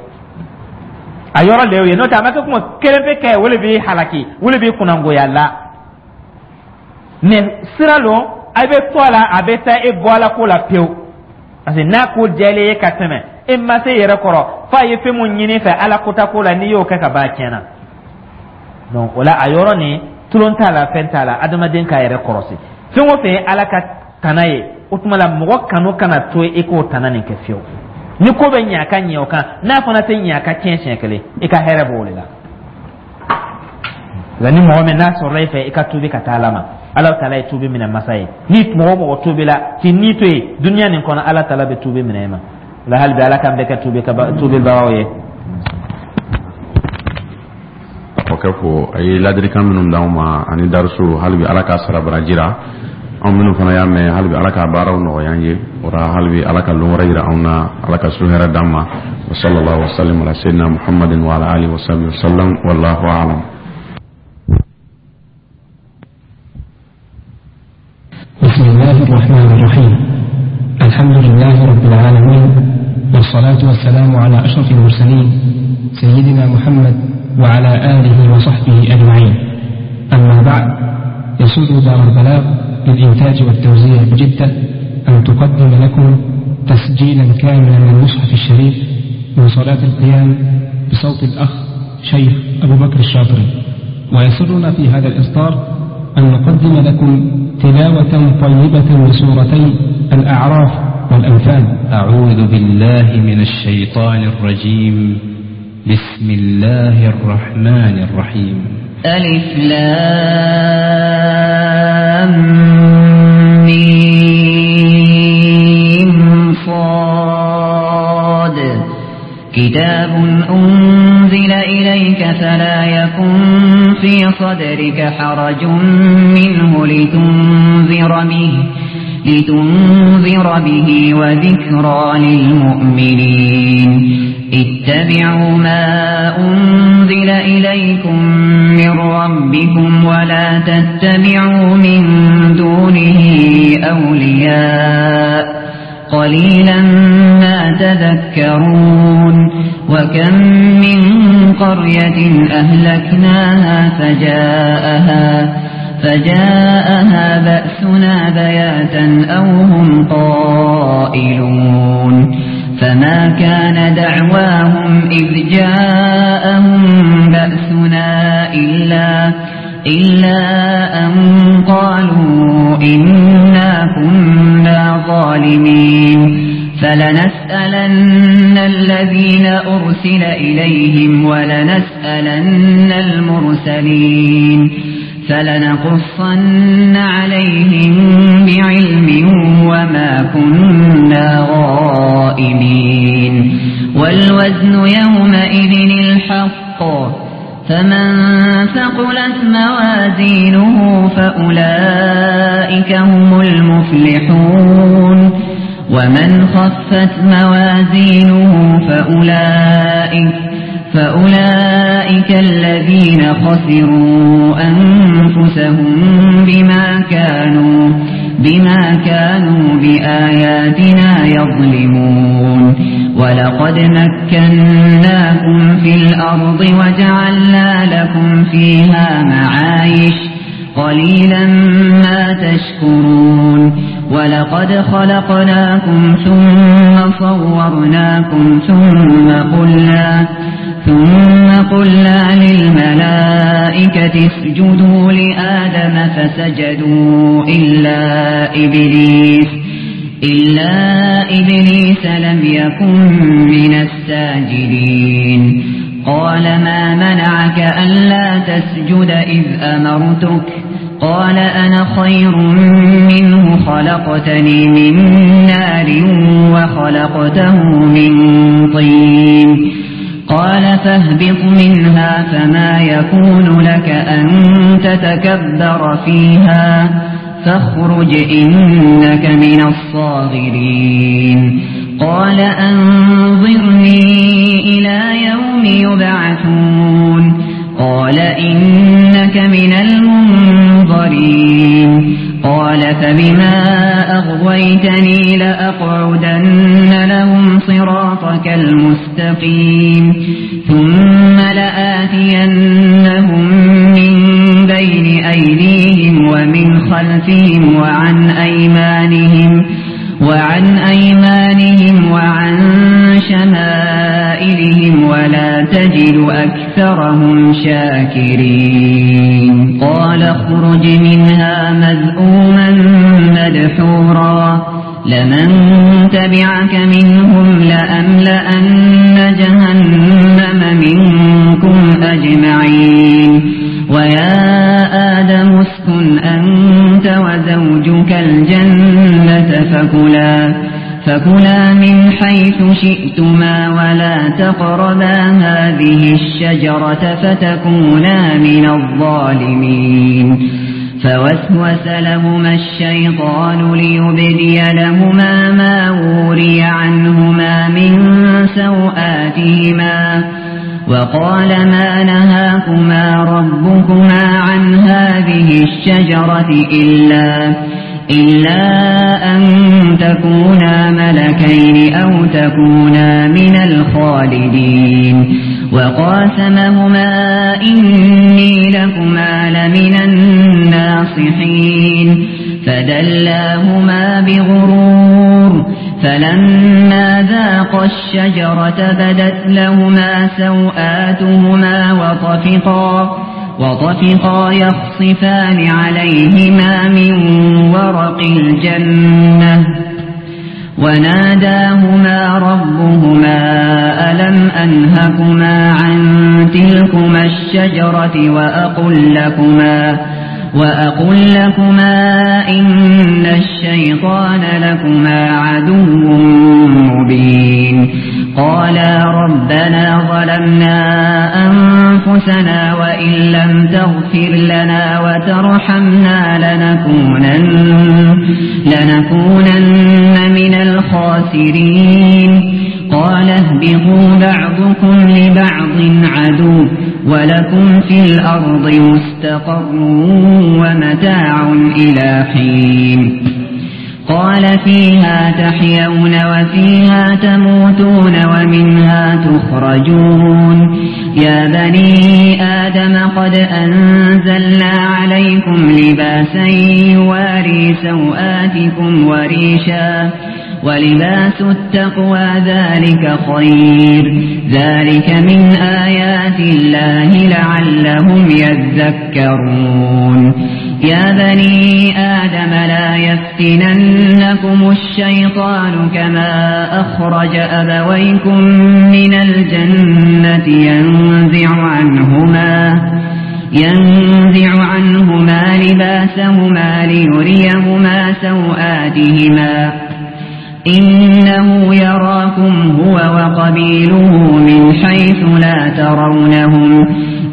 A yɔrɔ le y'o ye. N'o tɛ, a ma kɛ kuma kelen pe kɛ, o le b'i halaki, o le b'i kunnangoya la. Mais sira lo, a bɛ to a la, a bɛ taa e bɔ Ala ko la pewu, parce que n'a ko diyalen ye ka tɛmɛ, e ma se yɛrɛ kɔrɔ f'a ye fɛn mun ɲini fɛ Ala kota ko la, n'i y'o kɛ ka ban, a tiɲɛna. Donc o la, a yɔrɔ nin, tulon t'a la, fɛn t'a la, adamaden k'a yɛrɛ kɔrɔsi. Fɛn o fɛn ye Ala ka tana ye, o tuma la mɔgɔ kanu kana to i k'o tana nin kɛ fiyewu. Ni ko bɛ ɲɛ, a ka ɲɛ o kan, n'a fana tɛ ɲɛ, a ka tiɲɛ siɲɛ kelen, i ka hɛrɛ b'o de la. Nka ni mɔgɔ min n'a sɔrɔla i fɛ, i ka tuubi ka taa Ala ma. Ala taala ye tuubi minɛ masa ye. Ni mɔgɔ o mɔgɔ tuubila k'i ni to yen duniya nin kɔnɔ, Ala taala bɛ tuubi minɛ i ma. La hali bi, Ala k'an bɛɛ kɛ tuubi tuubibagaw ye. Kɔkɛ ko a ye ladilikan minnu d'anw ma ani darisu, hali bi Ala k'a sara baraji ra. Anw minnu fana y'a mɛn, hali bi Ala k'a baaraw nɔgɔya an ye. O la, hali bi Ala ka lon wɛrɛ yira anw na, Ala ka su hɛrɛ d'an ma. Wa sallallahu wa sallam ala sayyidina Muhammadin wa ala alihi wa sahbihi wa sallam, wallahu a'lam. بسم الله الرحمن الرحيم. الحمد لله رب العالمين، والصلاة والسلام على أشرف المرسلين سيدنا محمد وعلى آله وصحبه أجمعين. أما بعد، يسر دار البلاغ للإنتاج والتوزيع بجدة أن تقدم لكم تسجيلا كاملا من المصحف الشريف من صلاة القيام بصوت الأخ شيخ أبو بكر الشاطري. ويسرنا في هذا الإصدار أن نقدم لكم تلاوة طيبة لسورتي الأعراف والأنفال. أعوذ بالله من الشيطان الرجيم. بسم الله الرحمن الرحيم. ألف لام ميم صاد. كتاب أنزل إليك فلا يكن في صدرك حرج منه لتنذر به وذكرى للمؤمنين. اتبعوا ما أنزل إليكم من ربكم ولا تتبعوا من دونه أولياء قليلا ما تذكرون. وكم من قرية أهلكناها فجاءها بأسنا بياتا أو هم قائلون. فما كان دعواهم إذ جاءهم بأسنا إلا أن قالوا إنا كنا ظالمين. فلنسألن الذين أرسل إليهم ولنسألن المرسلين فلنقصن عليهم بعلم وما كنا غائبين. والوزن يومئذ الحق، فمن ثقلت موازينه فأولئك فأولئك هم المفلحون. ومن خفت موازينه فأولئك الذين خسروا أنفسهم بما كانوا بآياتنا يظلمون. ولقد مكناكم في الأرض وجعلنا لكم فيها معايش قليلا ما تشكرون. ولقد خلقناكم ثم صورناكم ثم قلنا للملائكة اسجدوا لآدم فسجدوا إلا إبليس لم يكن من الساجدين. قال ما منعك ألا تسجد إذ أمرتك؟ قال أنا خير منه خلقتني من نار وخلقته من طين. قال فاهبط منها فما يكون لك أن تتكبر فيها فاخرج إنك من الصاغرين. قال أنظرني إلى يوم يبعثون. قال إنك من المنظرين. قال فبما أغويتني لأقعدن لهم صراطك المستقيم. ثم لآتينهم من بين أيديهم ومن خلفهم وعن أيمانهم وعن شمائلهم ولا تجد أكثرهم شاكرين. قال اخرج منها مذءوما مدحورا لمن تبعك منهم لأملأن جهنم منكم أجمعين. ويا آدم اسكن أنت وزوجك الجنة فكلا من حيث شئتما ولا تقربا هذه الشجرة فتكونا من الظالمين. فوسوس لهما الشيطان ليبدي لهما ما وري عنهما من سوآتهما وقال ما نهاكما ربكما عن هذه الشجرة إلا أن تكونا ملكين أو تكونا من الخالدين. وقاسمهما إني لكما لمن الناصحين. فدلاهما بغرور فلما ذاقا الشجرة بدت لهما سوآتهما وطفقا يخصفان عليهما من ورق الجنة. وناداهما ربهما ألم أنهكما عن تلكما الشجرة وأقل لكما إن الشيطان لكما عدو مبين. قالا ربنا ظلمنا أنفسنا وإن لم تغفر لنا وترحمنا لنكونن من الخاسرين. قال اهبطوا بعضكم لبعض عدو ولكم في الأرض مستقر ومتاع إلى حين. قال فيها تحيون وفيها تموتون ومنها تخرجون. يا بني آدم قد أنزلنا عليكم لباسا يواري سوآتكم وريشا ولباس التقوى ذلك خير. ذلك من آيات الله لعلهم يذكرون. يا بني آدم لا يفتننكم الشيطان كما أخرج أبويكم من الجنة ينزع عنهما لباسهما ليريهما سوآتهما. إنه يراكم هو وقبيله من حيث لا ترونهم.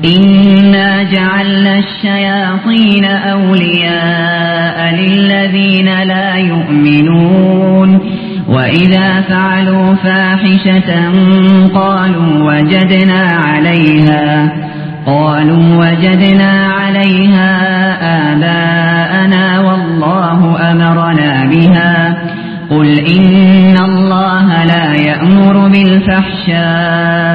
إنا جعلنا الشياطين أولياء للذين لا يؤمنون وإذا فعلوا فاحشة قالوا وجدنا عليها آباءنا والله أمرنا بها قل إن الله لا يأمر بالفحشاء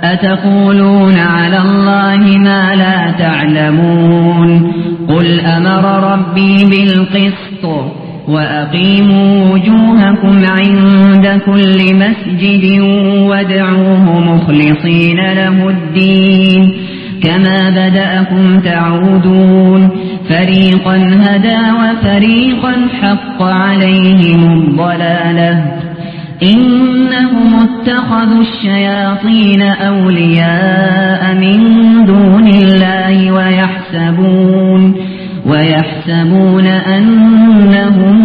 أتقولون على الله ما لا تعلمون قل أمر ربي بالقسط وأقيموا وجوهكم عند كل مسجد وادعوه مخلصين له الدين كما بدأكم تعودون فريقا هدى وفريقا حق عليهم الضلالة إنهم اتخذوا الشياطين أولياء من دون الله ويحسبون أنهم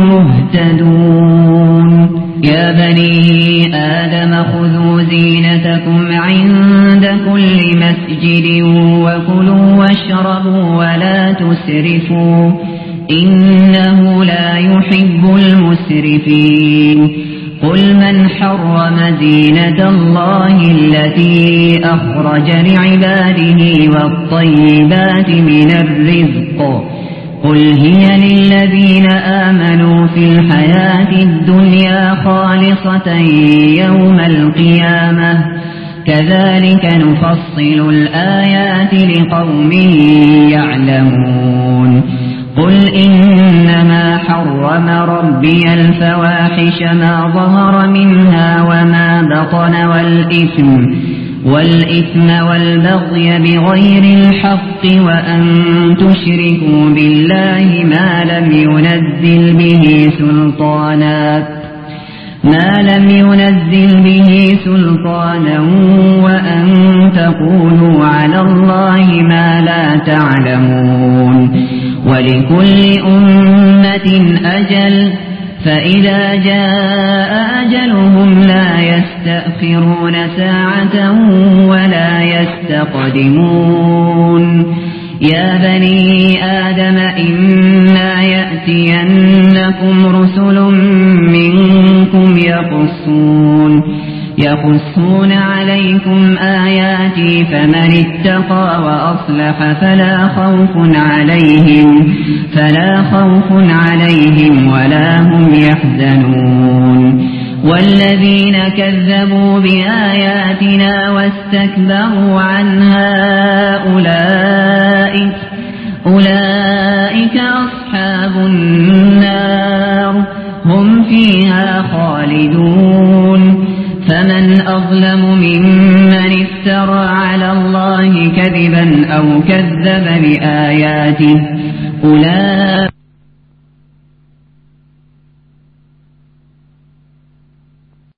مهتدون يا بني آدم خذوا زينتكم عند كل مسجد وكلوا واشربوا ولا تسرفوا إنه لا يحب المسرفين قل من حرم زينة الله التي أخرج لعباده والطيبات من الرزق قل هي للذين آمنوا في الحياة الدنيا خالصة يوم القيامة كذلك نفصل الآيات لقوم يعلمون قل إنما حرم ربي الفواحش ما ظهر منها وما بطن والإثم والبغي بغير الحق وأن تشركوا بالله ما لم ينزل به سلطانا وأن تقولوا على الله ما لا تعلمون ولكل أمة أجل فإذا جاء أجلهم لا يستأخرون ساعة ولا يستقدمون يا بني آدم إما يأتينكم رسل منكم يقصون عليكم آياتي فمن اتقى وأصلح فلا خوف عليهم ولا هم يحزنون والذين كذبوا بآياتنا واستكبروا عنها أولئك أصحاب النار هم فيها خالدون فمن أظلم ممن افترى على الله كذبا أو كذب بآياته أولئك